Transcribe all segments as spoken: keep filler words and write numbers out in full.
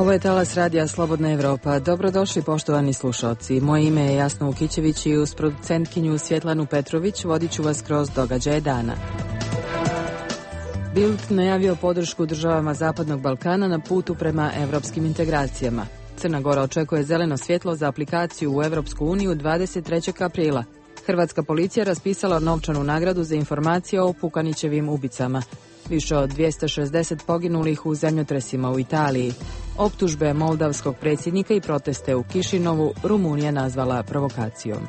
Ovo je talas radija Slobodna Evropa. Dobrodošli poštovani slušalci. Moje ime je Jasna Ukićević i uz producentkinju Svjetlanu Petrović vodit ću vas kroz događaje dana. Bild najavio podršku državama Zapadnog Balkana na putu prema evropskim integracijama. Crna Gora očekuje zeleno svjetlo za aplikaciju u Evropsku uniju dvadeset trećeg aprila. Hrvatska policija raspisala novčanu nagradu za informacije o Pukanićevim ubicama. Više od dvjesto šezdeset poginulih u zemljotresima u Italiji. Optužbe moldavskog predsjednika i proteste u Kišinovu Rumunija nazvala provokacijom.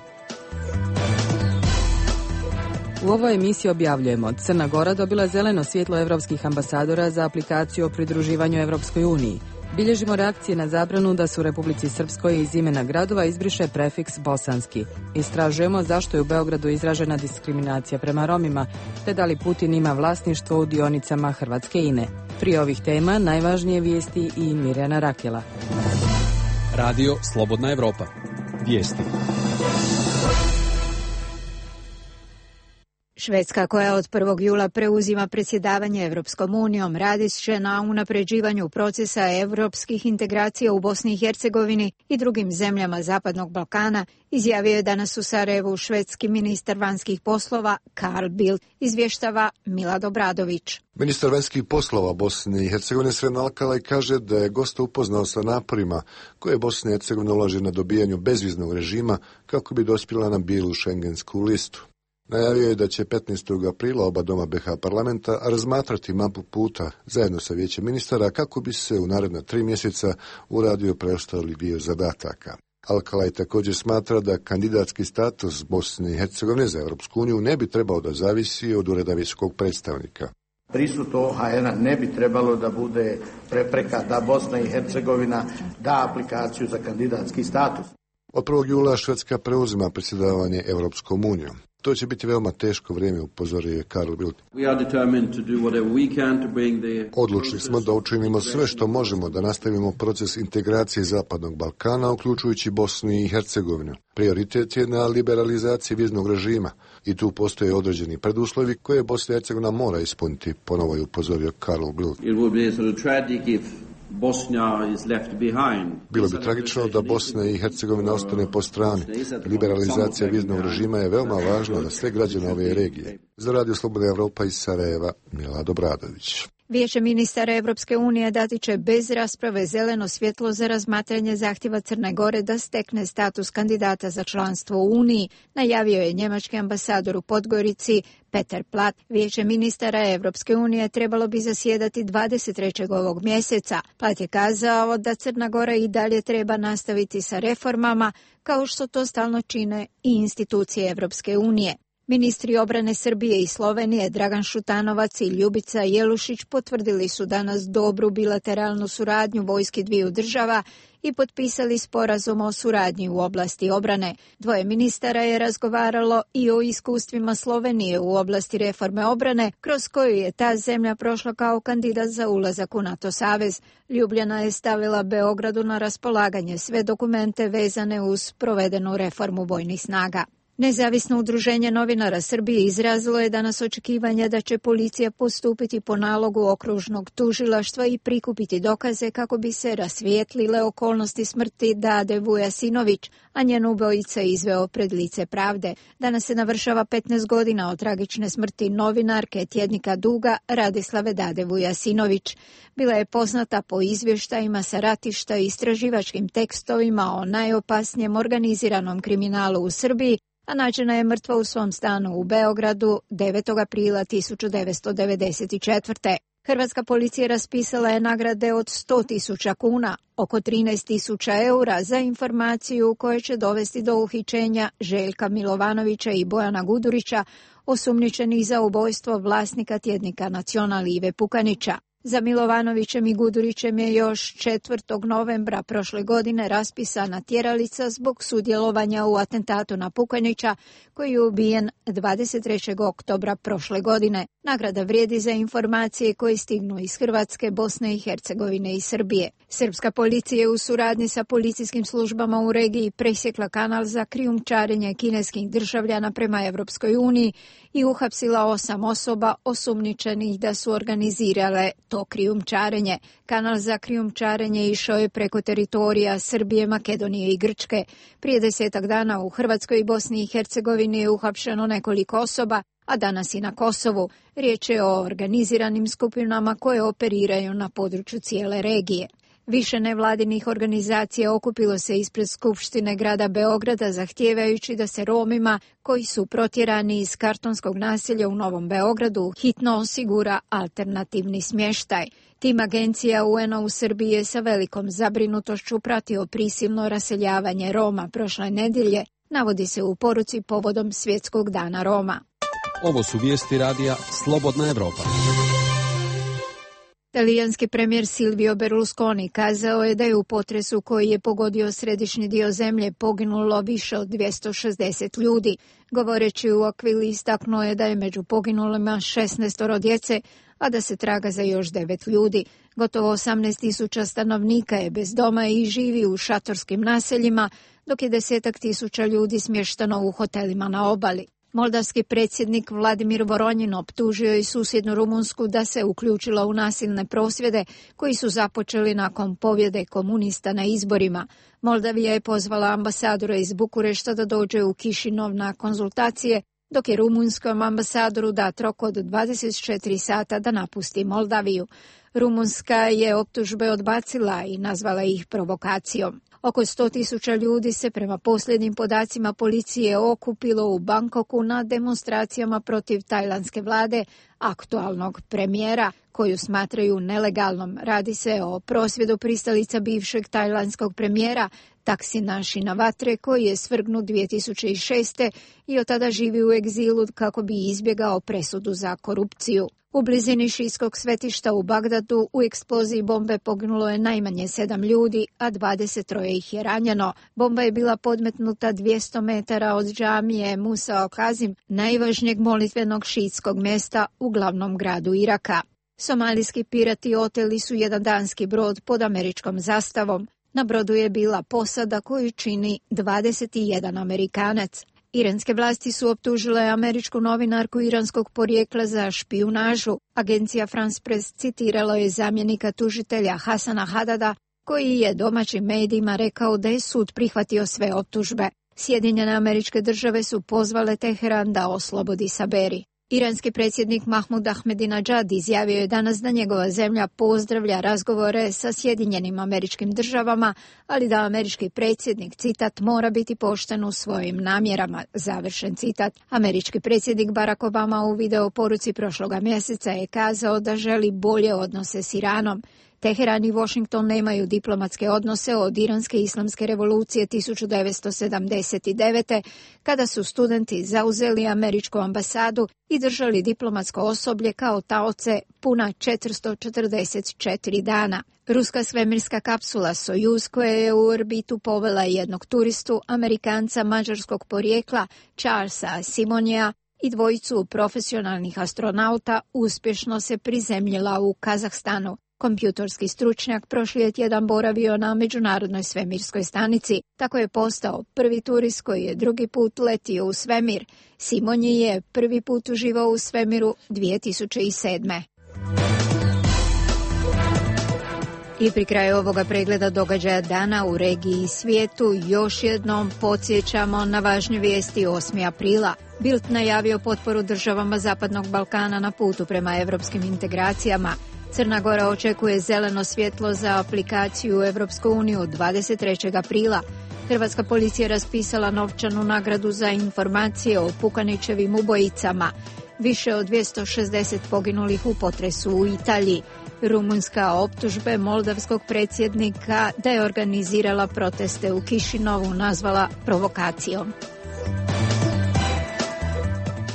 U ovoj emisiji objavljujemo: Crna Gora dobila zeleno svjetlo evropskih ambasadora za aplikaciju o pridruživanju Evropskoj uniji. Bilježimo reakcije na zabranu da se u Republici Srpskoj iz imena gradova izbriše prefiks bosanski. Istražujemo zašto je u Beogradu izražena diskriminacija prema Romima, te da li Putin ima vlasništvo u dionicama Hrvatske I N E. Prije ovih tema najvažnije vijesti i Mirjana Rakela. Radio Slobodna Evropa. Vijesti. Švedska, koja od prvog jula preuzima predsjedavanje Evropskom unijom, radi će na unapređivanju procesa evropskih integracija u Bosni i Hercegovini i drugim zemljama Zapadnog Balkana, izjavio je danas u Sarajevu švedski ministar vanjskih poslova Carl Bildt, izvještava Milad Obradović. Ministar vanjskih poslova Bosne i Hercegovine Srem Alkalaj kaže da je gosta upoznao sa naporima koje Bosna i Hercegovina ulaže na dobijanju bezviznog režima kako bi dospjela na bijelu šengensku listu. Najavio je da će petnaestog aprila oba doma B H parlamenta razmatrati mapu puta zajedno sa vijećem ministara kako bi se u naredna tri mjeseca uradio preostali dio zadataka. Alkalaj također smatra da kandidatski status Bosne i Hercegovine za Europsku uniju ne bi trebao da zavisi od ureda visokog predstavnika. Prisut O H N-a ne bi trebalo da bude prepreka da Bosna i Hercegovina da aplikaciju za kandidatski status. Od prvog jula Švedska preuzima predsjedavanje Europskom unijom. To će biti veoma teško vrijeme, upozorio je Carl Bildt. Odlučili smo da učinimo sve što možemo da nastavimo proces integracije Zapadnog Balkana, uključujući Bosnu i Hercegovinu. Prioritet je na liberalizaciji viznog režima i tu postoje određeni preduslovi koje Bosna i Hercegovina mora ispuniti, ponovo je upozorio Carl Bildt. Bilo bi tragično da Bosna i Hercegovina ostane po strani. Liberalizacija viznog režima je veoma važna za sve građane ove regije. Za Radio Slobodna Evropa iz Sarajeva, Milad Obradović. Vijeće ministara Evropske unije dati će bez rasprave zeleno svjetlo za razmatranje zahtjeva Crne Gore da stekne status kandidata za članstvo u Uniji, najavio je njemački ambasador u Podgorici Peter Platt. Vijeće ministara Evropske unije trebalo bi zasjedati dvadeset trećeg ovog mjeseca. Platt je kazao da Crna Gora i dalje treba nastaviti sa reformama, kao što to stalno čine i institucije Evropske unije. Ministri obrane Srbije i Slovenije Dragan Šutanovac i Ljubica Jelušić potvrdili su danas dobru bilateralnu suradnju vojski dviju država i potpisali sporazum o suradnji u oblasti obrane. Dvoje ministara je razgovaralo i o iskustvima Slovenije u oblasti reforme obrane, kroz koju je ta zemlja prošla kao kandidat za ulazak u NATO savez. Ljubljana je stavila Beogradu na raspolaganje sve dokumente vezane uz provedenu reformu vojnih snaga. Nezavisno udruženje novinara Srbije izrazilo je danas očekivanje da će policija postupiti po nalogu okružnog tužilaštva i prikupiti dokaze kako bi se rasvijetlile okolnosti smrti Dade Vujasinović, a njen ubojica izveo pred lice pravde. Danas se navršava petnaest godina od tragične smrti novinarke tjednika Duga Radislave Dade Vujasinović. Bila je poznata po izvještajima sa ratišta i istraživačkim tekstovima o najopasnijem organiziranom kriminalu u Srbiji, a nađena je mrtva u svom stanu u Beogradu devetog aprila tisuću devetsto devedeset četvrte. Hrvatska policija raspisala je nagrade od sto tisuća kuna, oko trinaest tisuća eura, za informaciju koja će dovesti do uhićenja Željka Milovanovića i Bojana Gudurića, osumnjičenih za ubojstvo vlasnika tjednika Nacional Ive Pukanića. Za Milovanovićem i Gudurićem je još četvrtog novembra prošle godine raspisana tjeralica zbog sudjelovanja u atentatu na Pukanića, koji je ubijen dvadeset trećeg oktobra prošle godine. Nagrada vrijedi za informacije koje stignu iz Hrvatske, Bosne i Hercegovine i Srbije. Srpska policija je u suradnji sa policijskim službama u regiji presjekla kanal za krijumčarenje kineskih državljana prema Evropskoj uniji i uhapsila osam osoba osumnjičenih da su organizirale to to krijumčarenje. Kanal za krijumčarenje išao je preko teritorija Srbije, Makedonije i Grčke. Prije desetak dana u Hrvatskoj i Bosni i Hercegovini je uhapšeno nekoliko osoba, a danas i na Kosovu. Riječ je o organiziranim skupinama koje operiraju na području cijele regije. Više nevladinih organizacija okupilo se ispred Skupštine grada Beograda zahtijevajući da se Romima koji su protjerani iz kartonskog naselja u Novom Beogradu hitno osigura alternativni smještaj. Tim agencija U N-a u Srbiji je sa velikom zabrinutošću pratio prisilno raseljavanje Roma prošle nedjelje, navodi se u poruci povodom Svjetskog dana Roma. Ovo su vijesti radija Slobodna Evropa. Talijanski premijer Silvio Berlusconi kazao je da je u potresu koji je pogodio središnji dio zemlje poginulo više od dvjesto šezdeset ljudi. Govoreći u Aquili istaknuo je da je među poginulima šesnaest djece, a da se traga za još devet ljudi. Gotovo osamnaest tisuća stanovnika je bez doma i živi u šatorskim naseljima, dok je desetak tisuća ljudi smješteno u hotelima na obali. Moldavski predsjednik Vladimir Voronjin optužio je susjednu Rumunsku da se uključila u nasilne prosvjede koji su započeli nakon pobjede komunista na izborima. Moldavija je pozvala ambasadora iz Bukurešta da dođe u Kišinov na konzultacije, dok je rumunskom ambasadoru dat rok od dvadeset četiri sata da napusti Moldaviju. Rumunska je optužbe odbacila i nazvala ih provokacijom. Oko sto tisuća ljudi se prema posljednjim podacima policije okupilo u Bangkoku na demonstracijama protiv tajlandske vlade, aktualnog premijera, koju smatraju nelegalnom. Radi se o prosvjedu pristalica bivšeg tajlandskog premijera Taksina Shinawatre, koji je svrgnut dvije tisuće šeste i od tada živi u egzilu kako bi izbjegao presudu za korupciju. U blizini šijskog svetišta u Bagdadu u eksploziji bombe poginulo je najmanje sedam ljudi, a dvadeset troje ih je ranjeno. Bomba je bila podmetnuta dvjesto metara od džamije Musa al-Kazim, najvažnijeg molitvenog šijskog mjesta u glavnom gradu Iraka. Somalijski pirati oteli su jedan danski brod pod američkom zastavom. Na brodu je bila posada koju čini dvadeset jedan Amerikanac. Iranske vlasti su optužile američku novinarku iranskog porijekla za špijunažu. Agencija France Press citirala je zamjenika tužitelja Hasana Hadada, koji je domaćim medijima rekao da je sud prihvatio sve optužbe. Sjedinjene Američke Države su pozvale Teheran da oslobodi Saberi. Iranski predsjednik Mahmud Ahmadinejad izjavio je danas da njegova zemlja pozdravlja razgovore sa Sjedinjenim Američkim Državama, ali da američki predsjednik, citat, mora biti pošten u svojim namjerama, završen citat. Američki predsjednik Barack Obama u video poruci prošloga mjeseca je kazao da želi bolje odnose s Iranom. Teheran i Washington nemaju diplomatske odnose od iranske islamske revolucije tisuću devetsto sedamdeset devete. kada su studenti zauzeli američku ambasadu i držali diplomatsko osoblje kao taoce puna četiristo četrdeset četiri dana. Ruska svemirska kapsula Sojuz koja je u orbitu povela jednog turistu, Amerikanca mađarskog porijekla Charlesa Simonija, i dvojicu profesionalnih astronauta uspješno se prizemljila u Kazahstanu. Kompjutorski stručnjak prošli je tjedan boravio na Međunarodnoj svemirskoj stanici, tako je postao prvi turist koji je drugi put letio u svemir. Simonji je prvi put uživao u svemiru dvije tisuće sedme. I pri kraju ovoga pregleda događaja dana u regiji i svijetu još jednom podsjećamo na važne vijesti osmog aprila. Bild najavio potporu državama Zapadnog Balkana na putu prema europskim integracijama. Crna Gora očekuje zeleno svjetlo za aplikaciju u Europsku uniju dvadeset trećeg aprila. Hrvatska policija raspisala novčanu nagradu za informacije o Pukanićevim ubojicama. Više od dvjesto šezdeset poginulih u potresu u Italiji. Rumunjska optužbe moldavskog predsjednika da je organizirala proteste u Kišinovu nazvala provokacijom.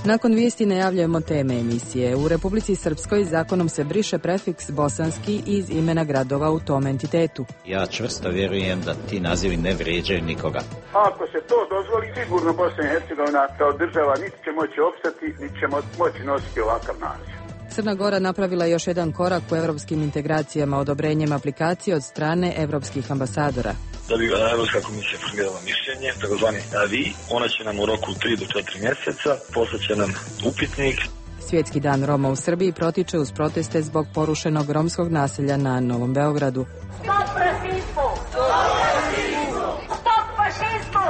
Nakon vijesti najavljujemo teme emisije. U Republici Srpskoj zakonom se briše prefiks bosanski iz imena gradova u tom entitetu. Ja čvrsto vjerujem da ti nazivi ne vrijeđaju nikoga. Ako se to dozvoli, sigurno Bosna i Hercegovina kao država niti će moći opstati, niti će moći nositi ovakav naziv. Crna Gora napravila još jedan korak u europskim integracijama odobrenjem aplikacije od strane evropskih ambasadora. Da bi Europska komisija formirala mišljenje, takozvani A V I, ona će nam u roku tri do četiri mjeseca poslati će nam upitnik. Svjetski dan Roma u Srbiji protiče uz proteste zbog porušenog romskog naselja na Novom Beogradu. Stop rasizmu! Stop fašizmu!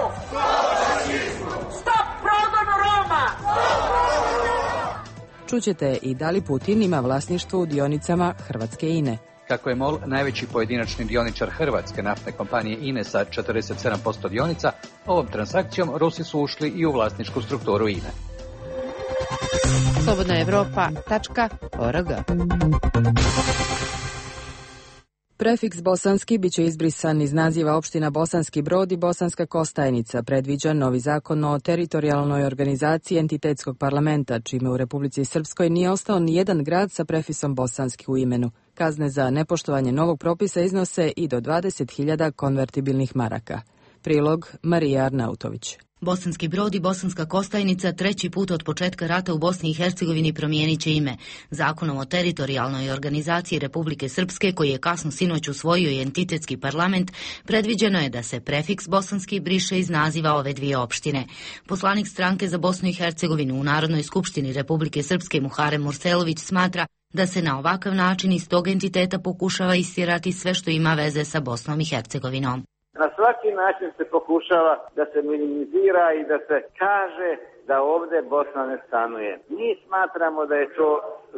Stop progonu Roma! Čućete i da li Putin ima vlasništvo u dionicama Hrvatske I N E. Kako je MOL najveći pojedinačni dioničar hrvatske naftne kompanije I N E sa četrdeset sedam posto dionica, ovom transakcijom Rusi su ušli i u vlasničku strukturu I N E. slobodna evropa tačka org. Prefiks bosanski biće izbrisan iz naziva opština Bosanski Brod i Bosanska Kostajnica, predviđa novi zakon o teritorijalnoj organizaciji entitetskog parlamenta, čime u Republici Srpskoj nije ostao ni jedan grad sa prefisom bosanski u imenu. Kazne za nepoštovanje novog propisa iznose i do dvadeset hiljada konvertibilnih maraka. Prilog Marija Arnautović. Bosanski Brod i Bosanska Kostajnica treći put od početka rata u Bosni i Hercegovini promijenit će ime. Zakonom o teritorijalnoj organizaciji Republike Srpske, koji je kasno sinoć usvojio i entitetski parlament, predviđeno je da se prefiks bosanski briše iz naziva ove dvije opštine. Poslanik stranke za Bosnu i Hercegovinu u Narodnoj skupštini Republike Srpske Muharem Murselović smatra da se na ovakav način iz tog entiteta pokušava istjerati sve što ima veze sa Bosnom i Hercegovinom. Na svaki način se pokušava da se minimizira i da se kaže da ovdje Bosna ne stanuje. Mi smatramo da je to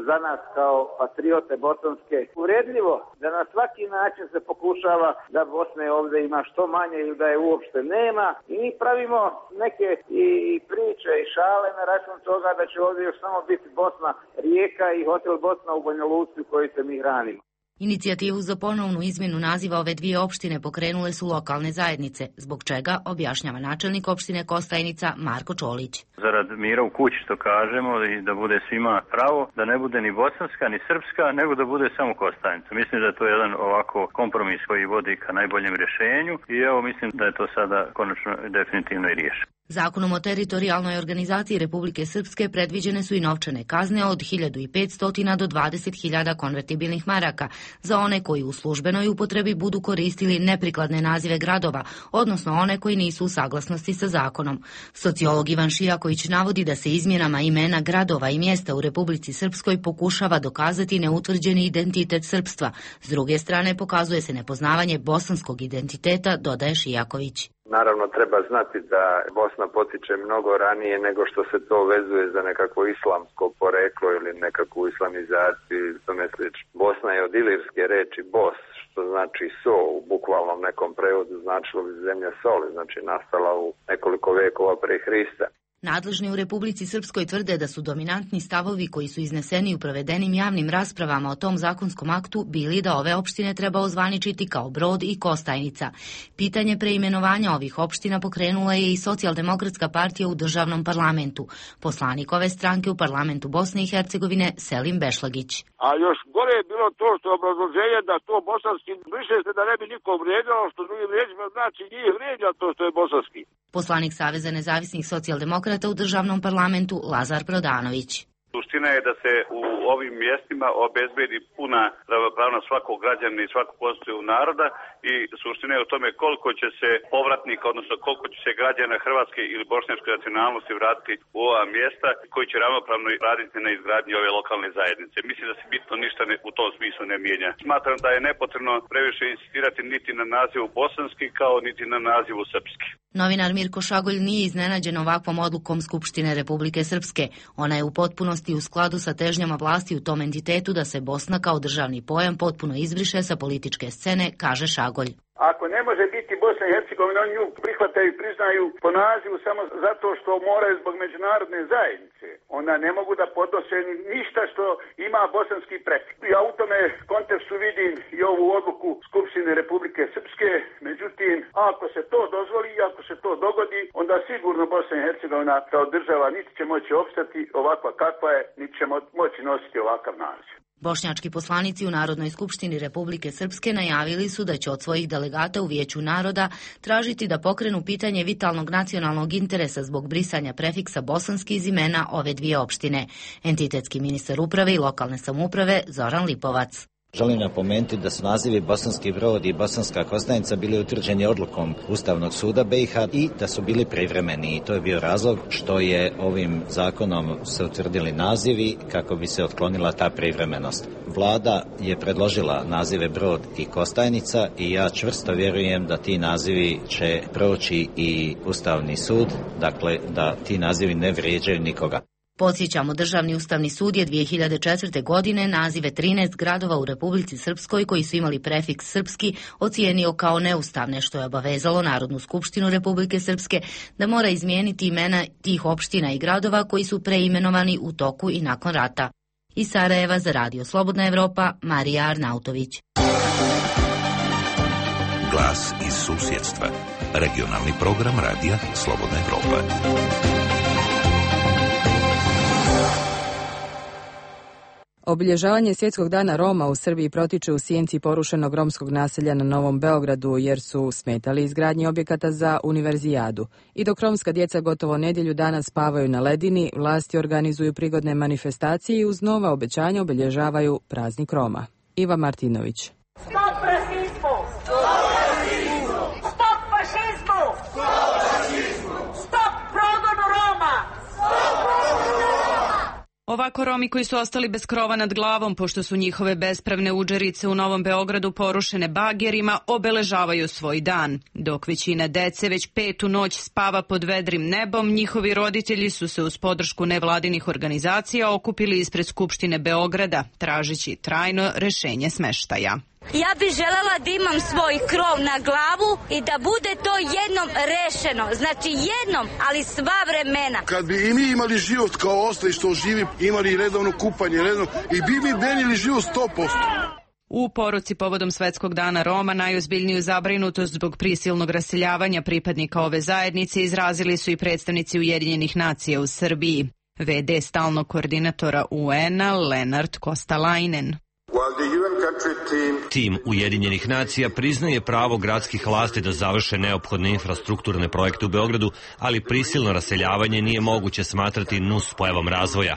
za nas kao patriote bosanske uvredljivo, da na svaki način se pokušava da Bosne ovdje ima što manje ili da je uopšte nema. I mi pravimo neke i priče i šale na račun toga da će ovdje još samo biti Bosna Rijeka i hotel Bosna u Banja Luci u kojoj se mi hranimo. Inicijativu za ponovnu izmjenu naziva ove dvije opštine pokrenule su lokalne zajednice, zbog čega objašnjava načelnik opštine Kostajnica Marko Čolić. Zarad mira u kući, što kažemo, i da bude svima pravo, da ne bude ni bosanska ni srpska, nego da bude samo Kostajnica. Mislim da je to jedan ovako kompromis koji vodi ka najboljem rješenju i evo mislim da je to sada konačno definitivno i riješeno. Zakonom o teritorijalnoj organizaciji Republike Srpske predviđene su i novčane kazne od hiljadu petsto do dvadeset hiljada konvertibilnih maraka za one koji u službenoj upotrebi budu koristili neprikladne nazive gradova, odnosno one koji nisu u saglasnosti sa zakonom. Sociolog Ivan Šijaković navodi da se izmjenama imena gradova i mjesta u Republici Srpskoj pokušava dokazati neutvrđeni identitet srpstva. S druge strane pokazuje se nepoznavanje bosanskog identiteta, dodaje Šijaković. Naravno treba znati da Bosna potiče mnogo ranije nego što se to vezuje za nekakvo islamsko poreklo ili nekakvu islamizaciju i tome slično. Bosna je od ilirske reči bos, što znači so, u bukvalnom nekom prevodu značilo bi zemlja soli, znači nastala u nekoliko vekova pre Hrista. Nadležni u Republici Srpskoj tvrde da su dominantni stavovi koji su izneseni u provedenim javnim raspravama o tom zakonskom aktu bili da ove opštine treba ozvaničiti kao Brod i Kostajnica. Pitanje preimenovanja ovih opština pokrenula je i Socijaldemokratska partija u državnom parlamentu. Poslanik ove stranke u parlamentu Bosne i Hercegovine Selim Bešlagić. A još gore je bilo to što obrazloženje da to bosanski briše se da ne bi niko vrijeđalo, što drugim riječima znači njih vrijeđa to što je bosanski. Poslanik Saveza nezavisnih socijaldemokrata u državnom parlamentu Lazar Prodanović. Suština je da se u ovim mjestima obezbedi puna ravnopravnost svakog građanina i svakog konstitutivnog naroda i suština je u tome koliko će se povratnika, odnosno koliko će se građana hrvatske ili bošnjačke nacionalnosti vratiti u ova mjesta koji će ravnopravno raditi na izgradnji ove lokalne zajednice. Mislim da se bitno ništa ne, u tom smislu ne mijenja. Smatram da je nepotrebno previše insistirati niti na nazivu bosanski kao niti na nazivu srpski. Novinar Mirko Šagolj nije iznenađen ovakvom odlukom Skupštine Republike Srpske. Ona je u potpunosti u skladu sa težnjama vlasti u tom entitetu da se Bosna kao državni pojam potpuno izbriše sa političke scene, kaže Šagolj. Ako ne može biti Bosna i Hercegovina, oni nju prihvataju i priznaju po nazivu samo zato što moraju zbog međunarodne zajednice. Onda ne mogu da podnose ništa što ima bosanski prefiks. Ja u tome kontekstu vidim i ovu odluku Skupštine Republike Srpske. Međutim, ako se to dozvoli i ako se to dogodi, onda sigurno Bosna i Hercegovina kao država niti će moći opstati ovakva kakva je, niti će moći nositi ovakav naziv. Bošnjački poslanici u Narodnoj skupštini Republike Srpske najavili su da će od svojih delegata u Vijeću naroda tražiti da pokrenu pitanje vitalnog nacionalnog interesa zbog brisanja prefiksa bosanski iz imena ove dvije opštine. Entitetski ministar uprave i lokalne samouprave Zoran Lipovac. Želim napomenuti da su nazivi Bosanski Brod i Bosanska Kostajnica bili utvrđeni odlukom Ustavnog suda B i H i da su bili privremeni. I to je bio razlog što je ovim zakonom se utvrdili nazivi kako bi se otklonila ta privremenost. Vlada je predložila nazive Brod i Kostajnica i ja čvrsto vjerujem da ti nazivi će proći i Ustavni sud, dakle da ti nazivi ne vrijeđaju nikoga. Podsjećamo, Državni ustavni sud je dvije hiljade četvrte. godine nazive trinaest gradova u Republici Srpskoj koji su imali prefiks srpski ocijenio kao neustavne, što je obavezalo Narodnu skupštinu Republike Srpske da mora izmijeniti imena tih opština i gradova koji su preimenovani u toku i nakon rata. Iz Sarajeva za Radio Slobodna Evropa, Marija Arnautović. Glas iz susjedstva. Regionalni program Radija Slobodna Evropa. Obilježavanje Svjetskog dana Roma u Srbiji protiče u sjenci porušenog romskog naselja na Novom Beogradu jer su smetali izgradnji objekata za univerzijadu. I dok romska djeca gotovo nedjelju dana spavaju na ledini, vlasti organizuju prigodne manifestacije i uz nova obećanja obilježavaju praznik Roma. Iva Martinović. Stop rasizmu! Stop rasizmu! Stop fašizmu! Stop fašizmu! Stop progonu Roma! Stop progonu Roma! Ovako Romi koji su ostali bez krova nad glavom, pošto su njihove bespravne udžerice u Novom Beogradu porušene bagerima, obeležavaju svoj dan. Dok većina dece već petu noć spava pod vedrim nebom, njihovi roditelji su se uz podršku nevladinih organizacija okupili ispred Skupštine Beograda, tražeći trajno rešenje smeštaja. Ja bih želela da imam svoj krov na glavu i da bude to jednom rešeno. Znači jednom, ali sva vremena. Kad bi i mi imali život kao ostali što živi, imali redovno kupanje, redovno, i bi mi denili život sto posto. U poruci povodom Svetskog dana Roma najozbiljniju zabrinutost zbog prisilnog raseljavanja pripadnika ove zajednice izrazili su i predstavnici Ujedinjenih nacija u Srbiji. V D stalnog koordinatora U N-a Lenart Kostalainen. Tim Ujedinjenih nacija priznaje pravo gradskih vlasti da završe neophodne infrastrukturne projekte u Beogradu, ali prisilno raseljavanje nije moguće smatrati nus pojavom razvoja.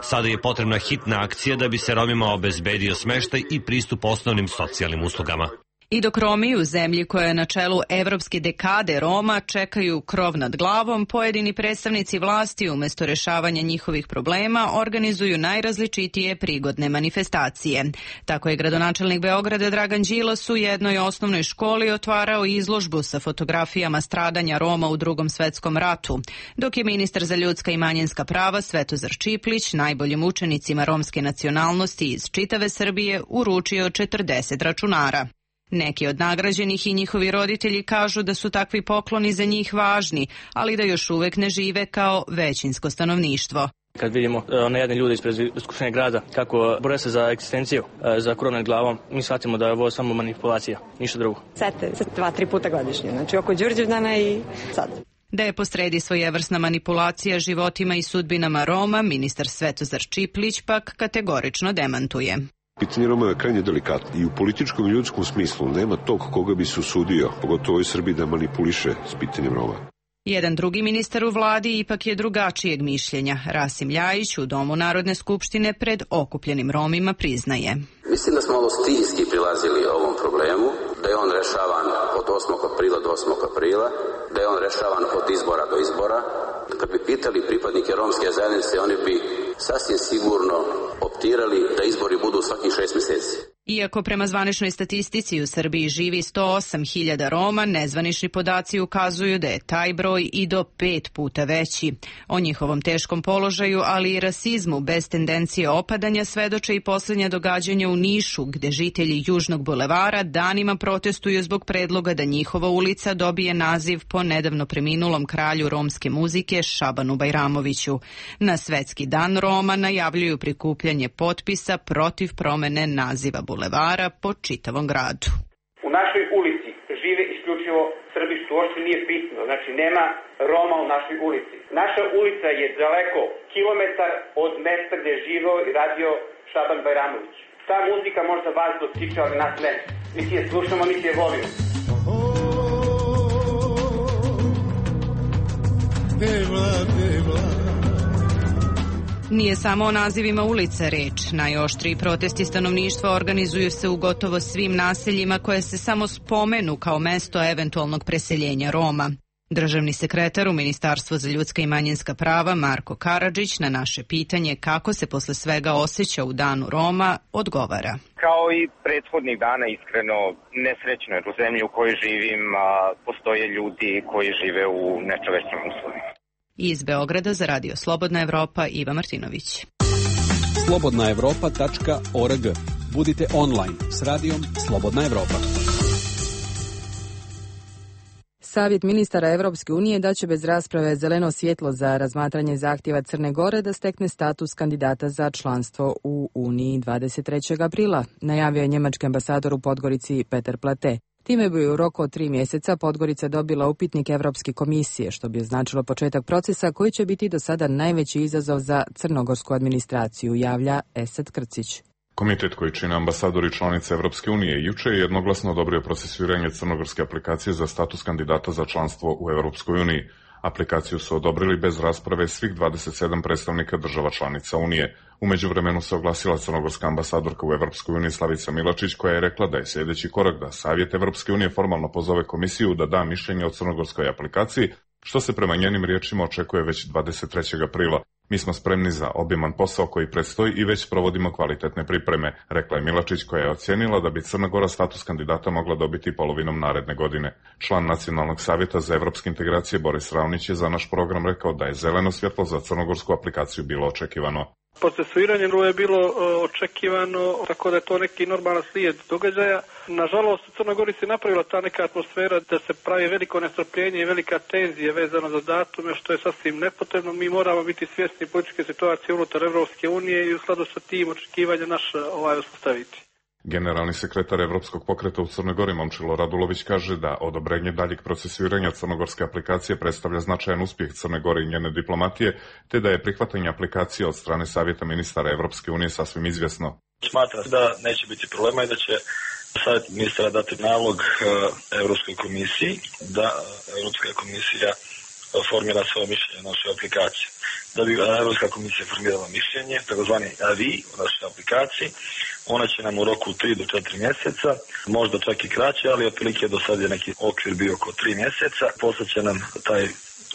Sada je potrebna hitna akcija da bi se Romima obezbedio smeštaj i pristup osnovnim socijalnim uslugama. I dok Romi u zemlji koja je na čelu evropske dekade Roma čekaju krov nad glavom, pojedini predstavnici vlasti umjesto rešavanja njihovih problema organizuju najrazličitije prigodne manifestacije. Tako je gradonačelnik Beograda Dragan Đilas u jednoj osnovnoj školi otvarao izložbu sa fotografijama stradanja Roma u Drugom svetskom ratu, dok je ministar za ljudska i manjinska prava Svetozar Čiplić najboljim učenicima romske nacionalnosti iz čitave Srbije uručio četrdeset računara. Neki od nagrađenih i njihovi roditelji kažu da su takvi pokloni za njih važni, ali da još uvek ne žive kao većinsko stanovništvo. Kad vidimo one jedne ljude ispred Skupštine grada kako bore se za egzistenciju, za krov nad glavom, mi shvatimo da je ovo samo manipulacija, ništa drugo. Sete se dva, tri puta godišnje, znači oko Đurđevdana i sad. Da je posredi svojevrsna manipulacija životima i sudbinama Roma, ministar Svetozar Čiplić pak kategorično demantuje. Pitanje Roma je krajnje delikatno i u političkom i ljudskom smislu nema tog koga bi se usudio, pogotovo u Srbiji, da manipuliše s pitanjem Roma. Jedan drugi ministar u vladi ipak je drugačijeg mišljenja. Rasim Ljajić u Domu Narodne skupštine pred okupljenim Romima priznaje. Mislim da smo ovo stilski prilazili ovom problemu, da je on rešavan od osmog aprila do osmog aprila, da je on rešavan od izbora do izbora. Kad bi pitali pripadnike romske zajednice, oni bi sasvim sigurno optirali da izbori budu svakih šest mjeseci. Iako prema zvaničnoj statistici u Srbiji živi sto osam hiljada Roma, nezvanični podaci ukazuju da je taj broj i do pet puta veći. O njihovom teškom položaju, ali i rasizmu bez tendencije opadanja svedoče i posljednja događanja u Nišu, gde žitelji Južnog bulevara danima protestuju zbog predloga da njihova ulica dobije naziv po nedavno preminulom kralju romske muzike Šabanu Bajramoviću. Na Svetski dan Roma najavljuju prikupljanje potpisa protiv promene naziva bulevara po čitavom gradu. U našoj ulici žive isključivo Srbi, što uopšte nije bitno, znači nema Roma u našoj ulici. Naša ulica je daleko kilometar od mesta gdje je živeo i radio Šaban Bajramović. Ta muzika možda vas dotiče, ali nas ne. Niti je slušamo, niti je volimo. Nije samo o nazivima ulica reč. Najoštriji protesti stanovništva organizuju se u gotovo svim naseljima koje se samo spomenu kao mesto eventualnog preseljenja Roma. Državni sekretar u Ministarstvu za ljudska i manjinska prava Marko Karadžić na naše pitanje kako se posle svega osjeća u danu Roma odgovara. Kao i prethodnih dana, iskreno nesrećno jer u zemlji u kojoj živim a, postoje ljudi koji žive u nečovečnim uslovima. Iz Beograda za Radio Slobodna Evropa Iva Martinović. slobodna evropa tačka org. Budite online s radijom Slobodna Evropa. Savjet ministara Evropske unije daće bez rasprave zeleno svjetlo za razmatranje zahtjeva Crne Gore da stekne status kandidata za članstvo u Uniji dvadeset trećeg aprila, najavio je njemački ambasador u Podgorici Peter Plate. Time bi u roku od tri mjeseca Podgorica dobila upitnik Evropske komisije, što bi značilo početak procesa koji će biti do sada najveći izazov za crnogorsku administraciju, javlja Esad Krcić. Komitet koji čine ambasadori članice Evropske unije juče je jednoglasno odobrio procesuiranje crnogorske aplikacije za status kandidata za članstvo u Evropskoj uniji. Aplikaciju su odobrili bez rasprave svih dvadeset sedam predstavnika država članica Unije. U međuvremenu se oglasila crnogorska ambasadorka u Evropskoj uniji Slavica Milačić, koja je rekla da je sljedeći korak da Savjet Evropske unije formalno pozove komisiju da da mišljenje o crnogorskoj aplikaciji, što se prema njenim riječima očekuje već dvadeset trećeg aprila. Mi smo spremni za obiman posao koji predstoji i već provodimo kvalitetne pripreme, rekla je Milačić, koja je ocijenila da bi Crna Gora status kandidata mogla dobiti polovinom naredne godine. Član Nacionalnog savjeta za evropske integracije Boris Ravnić je za naš program rekao da je zeleno svjetlo za crnogorsku aplikaciju bilo očekivano. Procesuiranje je bilo očekivano, tako da je to neki normalan slijed događaja. Nažalost, u Crnoj Gori se napravila ta neka atmosfera da se pravi veliko nestrpljenje i velika tenzija vezano za datume, što je sasvim nepotrebno. Mi moramo biti svjesni političke situacije unutar Evropske unije i u skladu sa tim očekivanja naša ovaj uspostaviti. Generalni sekretar Evropskog pokreta u Crnoj Gori Momčilo Radulović kaže da odobrenje daljeg procesuiranja crnogorske aplikacije predstavlja značajan uspjeh Crne Gore i njene diplomatije, te da je prihvatanje aplikacije od strane Savjeta ministara Evropske unije sasvim izvjesno. Smatram da neće biti problema i da će Savjet ministara dati nalog Evropskoj komisiji da Evropska komisija formira svoje mišljenje o našoj aplikaciji. Da bi Evropska komisija formirala mišljenje, takozvani avi o našoj aplikaciji, ona će nam u roku tri do četiri mjeseca, možda čak i kraće, ali otprilike do sad je neki okvir bio oko tri mjeseca, poslaće nam taj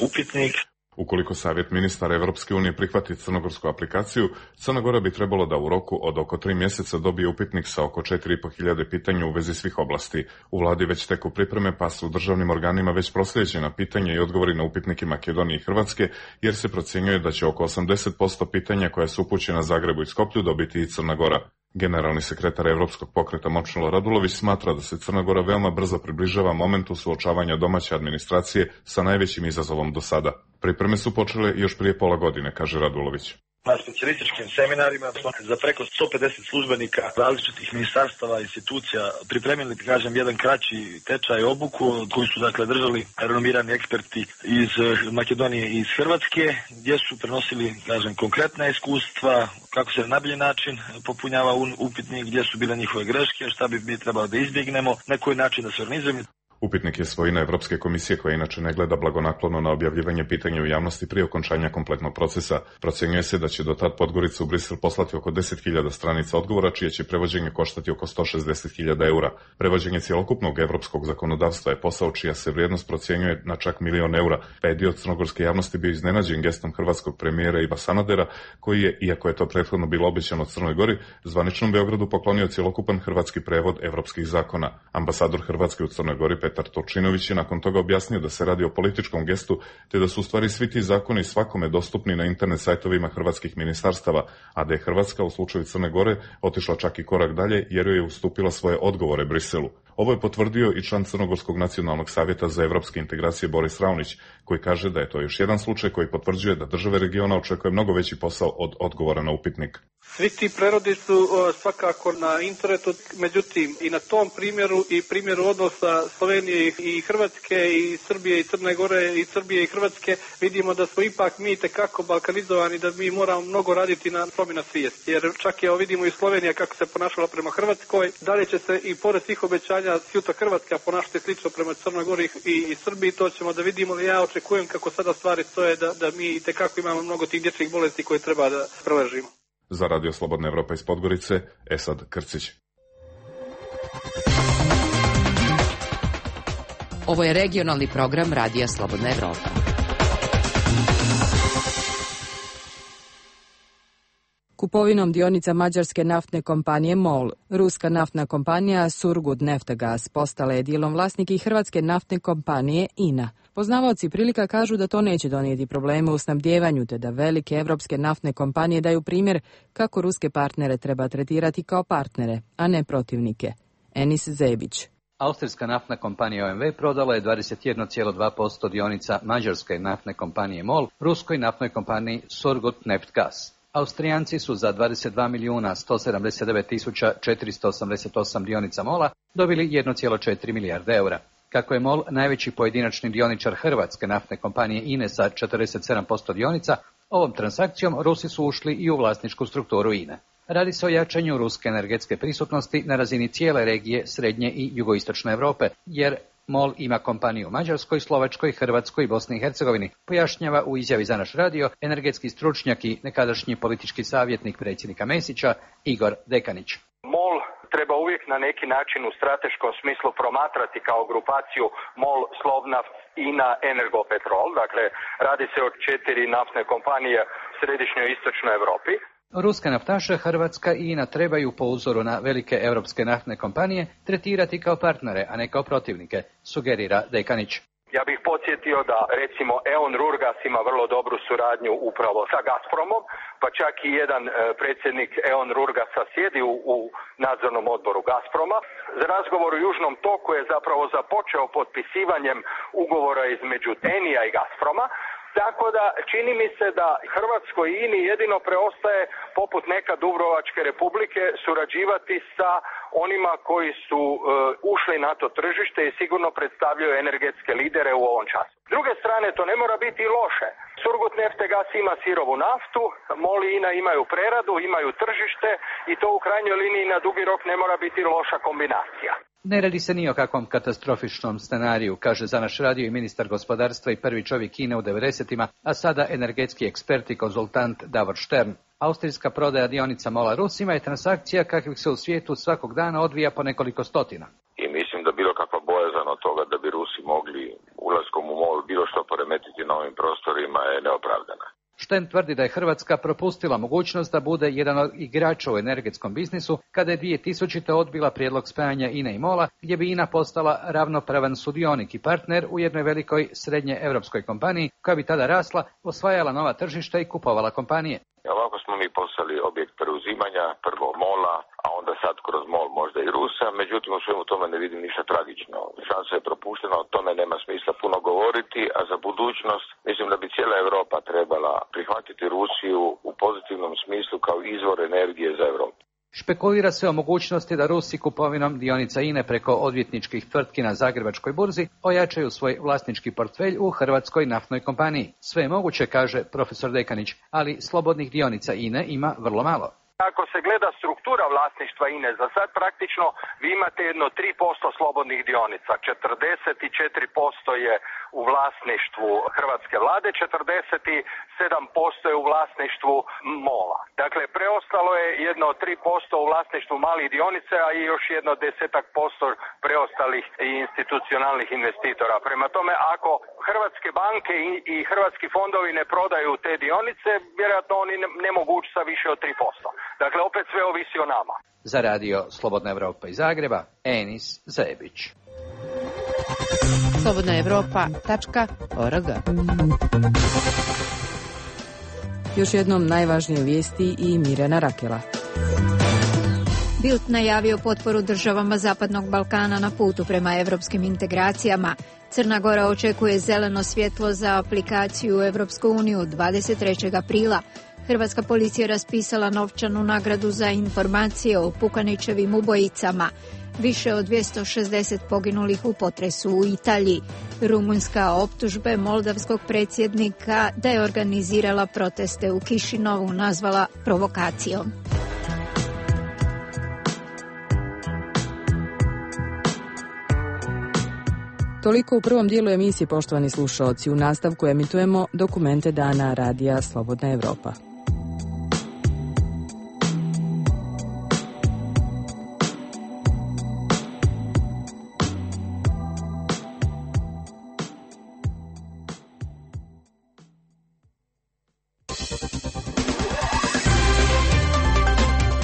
upitnik. Ukoliko Savjet ministara Evropske unije prihvati crnogorsku aplikaciju, Crna Gora bi trebalo da u roku od oko tri mjeseca dobije upitnik sa oko četiri i po hiljade pitanja u vezi svih oblasti. U vladi već teku pripreme, pa su državnim organima već proslijeđena pitanja i odgovori na upitnike Makedonije i Hrvatske, jer se procjenjuje da će oko osamdeset posto pitanja koja su upućena Zagrebu i Skoplju dobiti i Crna Gora. Generalni sekretar Evropskog pokreta Momčilo Radulović smatra da se Crna Gora veoma brzo približava momentu suočavanja domaće administracije sa najvećim izazovom do sada. Pripreme su počele još prije pola godine, kaže Radulović. Na specijalističkim seminarima smo za preko sto pedeset službenika različitih ministarstava i institucija pripremili, kažem, jedan kraći tečaj obuku koji su dakle držali renomirani eksperti iz Makedonije i iz Hrvatske, gdje su prenosili, kažem, konkretna iskustva, kako se na najbolji način popunjava upitnik, gdje su bile njihove greške, šta bi mi trebalo da izbjegnemo, na koji način da se organizujemo. Upitnik je svojina Evropske komisije koja inače ne gleda blagonaklono na objavljivanje pitanja u javnosti prije okončanja kompletnog procesa. Procjenjuje se da će do tad Podgorica u Brisel poslati oko deset hiljada stranica odgovora, čije će prevođenje koštati oko sto šezdeset hiljada eura. Prevođenje cjelokupnog evropskog zakonodavstva je posao čija se vrijednost procjenjuje na čak milion eura, pa je dio crnogorske javnosti bio iznenađen gestom hrvatskog premijera Iva Sanadera, koji je, iako je to prethodno bilo obećano Crnoj Gori, zvaničnom Beogradu poklonio cjelokupan hrvatski prevod evropskih zakona. Ambasador Hrvatske u Crnoj Gori Petar Turčinović je nakon toga objasnio da se radi o političkom gestu, te da su u stvari svi ti zakoni svakome dostupni na internet sajtovima hrvatskih ministarstava, a da je Hrvatska u slučaju Crne Gore otišla čak i korak dalje jer joj je ustupila svoje odgovore Briselu. Ovo je potvrdio i član Crnogorskog nacionalnog savjeta za evropske integracije Boris Ravnić, koji kaže da je to još jedan slučaj koji potvrđuje da države regiona očekuje mnogo veći posao od odgovora na upitnik. Svi ti prerodi su o, svakako na internetu, međutim i na tom primjeru i primjeru odnosa Slovenije i Hrvatske i Srbije i Crne Gore i Srbije i Hrvatske vidimo da smo ipak mi tekako balkanizovani, da mi moramo mnogo raditi na promjena svijesti. Jer čak je, vidimo i Slovenija kako se ponašala prema Hrvatskoj, dalje će se i pored svih obećanja sutra Hrvatska ponašati slično prema Crnoj Gori i, i Srbiji, to ćemo da vidimo, ali ja očekujem kako sada stvari stoje da, da mi tekako imamo mnogo tih dječjih bolesti koje treba da preležimo. Za Radio Slobodna Evropa iz Podgorice, Esad Krcić. Ovo je regionalni program Radija Slobodna Evropa. Kupovinom dionica mađarske naftne kompanije MOL, ruska naftna kompanija Surgutneftgaz postala je dijelom vlasnik i hrvatske naftne kompanije I N A. Poznavaoci prilika kažu da to neće donijeti probleme u snabdjevanju, te da velike evropske naftne kompanije daju primjer kako ruske partnere treba tretirati kao partnere, a ne protivnike. Enis Zebić. Austrijska naftna kompanija O M V prodala je dvadeset jedan zarez dva posto dionica mađarske naftne kompanije MOL, ruskoj naftnoj kompaniji Surgutneftgaz. Austrijanci su za dvadeset dva milijuna sto sedamdeset devet tisuća četiristo osamdeset osam dionica MOL-a dobili jedan zarez četiri milijarde eura. Kako je MOL najveći pojedinačni dioničar hrvatske naftne kompanije I N E sa četrdeset sedam posto dionica, ovom transakcijom Rusi su ušli i u vlasničku strukturu I N E. Radi se o jačanju ruske energetske prisutnosti na razini cijele regije Srednje i Jugoistočne Europe, jer MOL ima kompaniju u Mađarskoj, Slovačkoj, Hrvatskoj i Bosni i Hercegovini, pojašnjava u izjavi za naš radio energetski stručnjak i nekadašnji politički savjetnik predsjednika Mesića Igor Dekanić. MOL treba uvijek na neki način u strateškom smislu promatrati kao grupaciju MOL, Slovnaft, I N A, Energopetrol. Dakle, radi se o četiri naftne kompanije u središnjoj i istočnoj Europi. Ruske naftaše Hrvatska i I N A trebaju po uzoru na velike europske naftne kompanije tretirati kao partnere, a ne kao protivnike, sugerira Dekanić. Ja bih podsjetio da recimo E O N Rurgas ima vrlo dobru suradnju upravo sa Gazpromom, pa čak i jedan e, predsjednik E O N Rurgasa sjedi u, u nadzornom odboru Gazproma. Za razgovor u Južnom toku je zapravo započeo potpisivanjem ugovora između Enija i Gazproma. Tako da čini mi se da Hrvatskoj I N I jedino preostaje, poput neka Dubrovačke republike, surađivati sa onima koji su e, ušli na to tržište i sigurno predstavljaju energetske lidere u ovom času. S druge strane, to ne mora biti loše. Surgutneftgaz ima sirovu naftu, MOL i I N A imaju preradu, imaju tržište i to u krajnjoj liniji na dugi rok ne mora biti loša kombinacija. Ne radi se ni o kakvom katastrofičnom scenariju, kaže za naš radio i ministar gospodarstva i prvi čovjek Kine u devedesetima, a sada energetski ekspert i konzultant Davor Štern. Austrijska prodaja dionica MOL-a Rusima je transakcija kakvih se u svijetu svakog dana odvija po nekoliko stotina. I mislim da bilo kakva bojazan od toga da bi Rusi mogli ulaskom u MOL bilo što poremetiti na ovim prostorima je neopravdana. Štern tvrdi da je Hrvatska propustila mogućnost da bude jedan od igrača u energetskom biznisu kada je dvije tisućite odbila prijedlog spajanja I N E i MOL-a, gdje bi I N A postala ravnopravan sudionik i partner u jednoj velikoj srednje europskoj kompaniji koja bi tada rasla, osvajala nova tržišta i kupovala kompanije. Ovako smo mi postali objekt preuzimanja, prvo MOL-a, a onda sad kroz MOL možda i Rusa, međutim u svemu tome ne vidim ništa tragično. Šansa je propuštena, o tome nema smisla puno govoriti, a za budućnost mislim da bi cijela Europa trebala prihvatiti Rusiju u pozitivnom smislu kao izvor energije za Europu. Špekulira se o mogućnosti da Rusi kupovinom dionica I N E preko odvjetničkih tvrtki na Zagrebačkoj burzi ojačaju svoj vlasnički portfelj u hrvatskoj naftnoj kompaniji. Sve je moguće, kaže profesor Dekanić, ali slobodnih dionica I N E ima vrlo malo. Ako se gleda struktura vlasništva I N E, za sad praktično vi imate jedno tri posto slobodnih dionica, četrdeset četiri posto je u vlasništvu hrvatske vlade, četrdeset sedam posto je u vlasništvu MOL-a. Dakle, preostalo je jedno tri posto u vlasništvu malih dionica, a i još jedno desetak posto preostalih institucionalnih investitora. Prema tome, ako hrvatske banke i, i hrvatski fondovi ne prodaju te dionice, vjerojatno oni ne, ne mogu ući sa više od tri posto. Dakle, opet sve ovisi o nama. Za radio Slobodna Evropa iz Zagreba, Enis Zebić. slobodna evropa tačka org. Još jednom najvažnije vijesti i Mirjana Rakela. Bild najavio potporu državama Zapadnog Balkana na putu prema evropskim integracijama. Crna Gora očekuje zeleno svjetlo za aplikaciju u Evropsku uniju dvadeset trećeg aprila. Hrvatska policija raspisala novčanu nagradu za informacije o Pukanićevim ubojicama. Više od dvjesto šezdeset poginulih u potresu u Italiji. Rumunjska optužbe moldavskog predsjednika da je organizirala proteste u Kišinovu nazvala provokacijom. Toliko u prvom dijelu emisije, poštovani slušaoci. U nastavku emitujemo dokumente dana Radija Slobodna Evropa.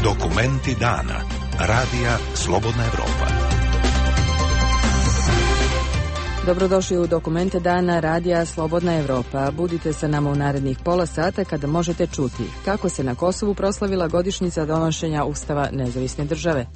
Dokumenti dana Radija Slobodna Evropa. Dobrodošli u dokumente dana Radija Slobodna Evropa. Budite sa nama u narednih pola sata kada možete čuti kako se na Kosovu proslavila godišnjica donošenja Ustava nezavisne države.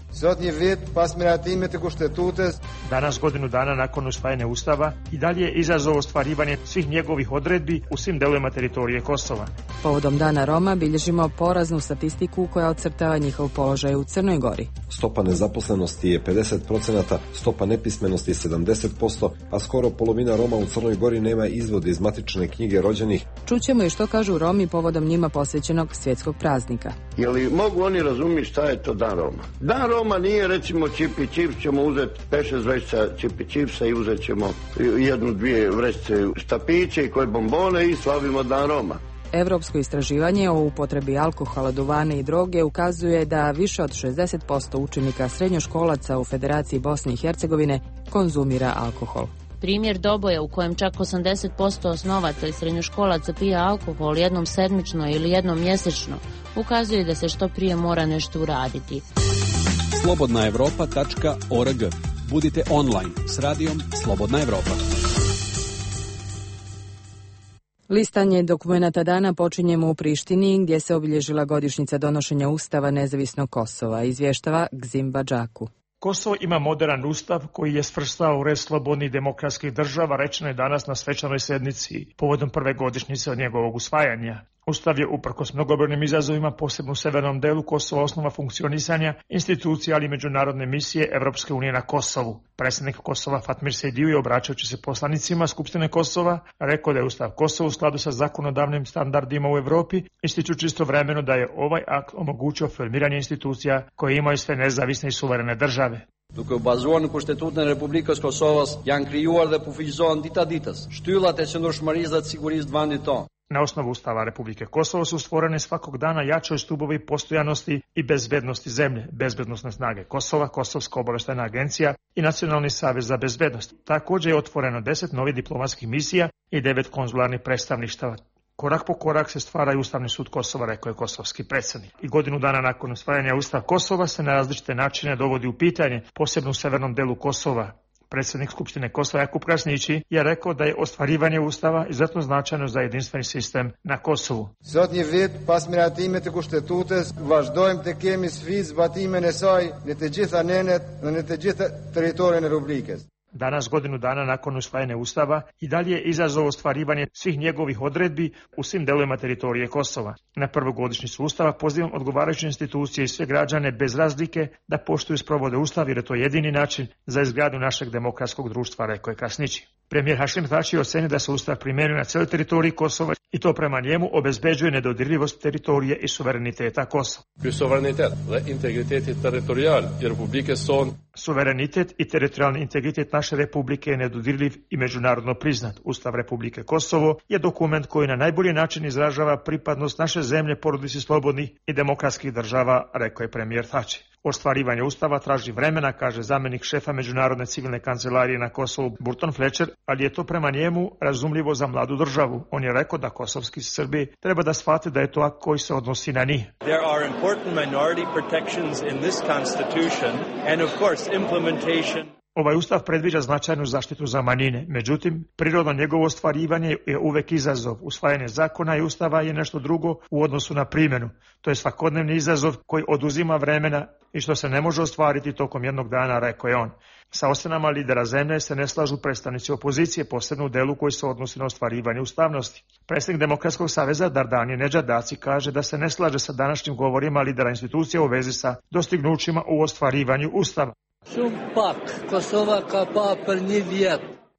Danas, godinu dana nakon usvajanja Ustava, i dalje je izazov ostvarivanje svih njegovih odredbi u svim delovima teritorije Kosova. Povodom Dana Roma bilježimo poraznu statistiku koja ocrtava njihov položaj u Crnoj Gori. Stopa nezaposlenosti je pedeset procenata, stopa nepismenosti je sedamdeset posto, a skoro polovina Roma u Crnoj Gori nema izvode iz matične knjige rođenih. Čućemo i što kažu Romi povodom njima posvećenog svjetskog praznika. Je li mogu oni razumjeti šta je to Dan Roma? Dan Roma nije recimo čipi čips, ćemo uzeti pet šest vrećica čipi čipsa i uzet ćemo jednu, dvije vrećice štapiće i koje bombone i slavimo Dan Roma. Evropsko istraživanje o upotrebi alkohola, duvana i droge ukazuje da više od šezdeset posto učenika srednjoškolaca u Federaciji Bosne i Hercegovine konzumira alkohol. Primjer Doboja u kojem čak osamdeset posto osnovaca i srednjoškolaca pije alkohol jednom sedmično ili jednom mjesečno ukazuje da se što prije mora nešto uraditi. slobodna evropa tačka org. Budite online s radijom Slobodna Evropa. Listanje dokumenata dana počinjemo u Prištini, gdje se obilježila godišnjica donošenja Ustava nezavisnog Kosova, izvještava Gzim Badžaku. Kosovo ima modern ustav koji je svrstao u red slobodnih demokratskih država, rečeno je danas na svečanoj sjednici povodom prve godišnjice od njegovog usvajanja. Ustav je uprkos mnogobrojnim izazovima, posebno u severnom delu Kosova, osnova funkcionisanja institucija, ali i međunarodne misije Evropske unije na Kosovu. Predsjednik Kosova Fatmir Sejdiu, obraćajući se poslanicima Skupštine Kosova, rekao da je Ustav Kosova u skladu sa zakonodavnim standardima u Evropi, ističući istovremeno da je ovaj akt omogućio formiranje institucija koje imaju sve nezavisne i suverene države. Duke u bazuar në Kushtetutin e Republikës Kosovës janë krijuar dhe përfaqësohen dita ditës shtyllat e qëndrueshmërisë dhe të sigurisë të vendit tonë. Na osnovu Ustava Republike Kosovo su stvorene svakog dana jačoj stubovi postojanosti i bezbednosti zemlje, bezbednosne snage Kosova, Kosovska obavještajna agencija i Nacionalni savez za bezbednost. Također je otvoreno deset novih diplomatskih misija i devet konzularnih predstavništava. Korak po korak se stvara i Ustavni sud Kosova, rekao je kosovski predsjednik. I godinu dana nakon usvajanja Ustava Kosova se na različite načine dovodi u pitanje, posebno u severnom delu Kosova. Predsjednik Skupštine Kosova Jakub Krasnići je rekao da je ostvarivanje Ustava izuzetno značajno za jedinstveni sistem na Kosovu. Sot një vit pas miratimit të kushtetutës, vazhdojmë të kemi sfidë zbatimin e saj në të gjitha nenet dhe në të gjitha territorin e Republikës. Danas, godinu dana nakon usvajanja Ustava, i dalje je izazov ostvarivanje svih njegovih odredbi u svim delovima teritorije Kosova. Na prvu godišnjicu Ustava pozivam odgovarajuće institucije i sve građane bez razlike da poštuju i sprovode Ustav, jer je to jedini način za izgradnju našeg demokratskog društva, rekao je Krasnići. Premijer Hašim Tači ocenio da se Ustav primjenjuje na cijeloj teritoriji Kosova i to prema njemu obezbeđuje nedodirljivost teritorije i suvereniteta Kosova. Suverenitet dhe integriteti teritorial i Republike son. Suverenitet i teritorijalni integritet naše republike je nedodirljiv i međunarodno priznat. Ustav Republike Kosovo je dokument koji na najbolji način izražava pripadnost naše zemlje porodici slobodnih i demokratskih država, rekao je premijer Tači. Ostvarivanje Ustava traži vremena, kaže zamjenik šefa Međunarodne civilne kancelarije na Kosovu Burton Fletcher, ali je to prema njemu razumljivo za mladu državu. On je rekao da kosovski Srbi treba da shvate da je to akt koji se odnosi na njih. There are important minority protections in this constitution and of course implementation. Ovaj ustav predviđa značajnu zaštitu za manjine, međutim, prirodno njegovo ostvarivanje je uvek izazov. Usvajanje zakona i ustava je nešto drugo u odnosu na primjenu. To je svakodnevni izazov koji oduzima vremena i što se ne može ostvariti tokom jednog dana, rekao je on. Sa ocenama lidera zemlje se ne slažu predstavnici opozicije, posebno u delu koji se odnosi na ostvarivanje ustavnosti. Predsjednik Demokratskog saveza Dardani Nedžadaci kaže da se ne slaže sa današnjim govorima lidera institucija u vezi sa dostignućima u ostvarivanju ustava.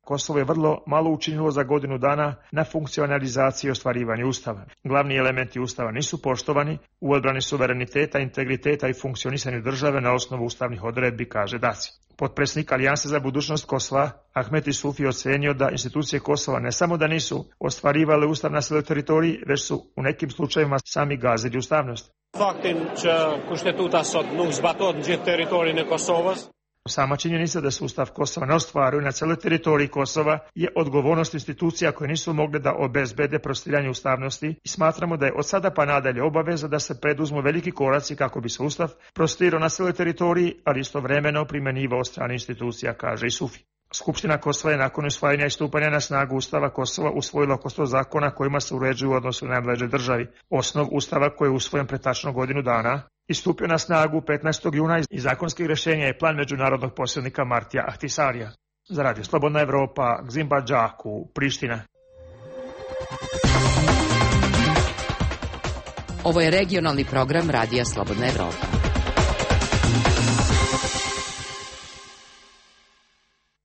Kosovo je vrlo malo učinilo za godinu dana na funkcionalizaciji i ostvarivanju ustava. Glavni elementi ustava nisu poštovani u odbrani suvereniteta, integriteta i funkcionisanju države na osnovu ustavnih odredbi, kaže Daci. Potpredsjednik Alijanse za budućnost Kosova, Ahmet Isufi, ocenio da institucije Kosova ne samo da nisu ostvarivale ustav na svojoj teritoriji, već su u nekim slučajevima sami gazili ustavnost. Faktin që kushtetuta sot nuk zbaton gjithë territorin e Kosovës. Sama činjenica da se ustav Kosova ne ostvaruje na celoj teritoriji Kosova je odgovornost institucija koje nisu mogle da obezbede prostiranje ustavnosti i smatramo da je od sada pa nadalje obaveza da se preduzmu veliki koraci kako bi se ustav prostirao na celoj teritoriji, ali istovremeno primenjivao od strane institucija, kaže Isufi. Skupština Kosova je nakon usvajanja i stupanja na snagu Ustava Kosova usvojila oko sto zakona kojima se uređuju u odnosu na najmlađe državi. Osnov Ustava koji je usvojen pre tačno godinu dana i stupio na snagu petnaestog juna i zakonskih rješenja je plan međunarodnog posrednika Martija Ahtisarija. Za Radio Slobodna Evropa, Gzimba Džaku, Priština. Ovo je regionalni program Radija Slobodna Evropa.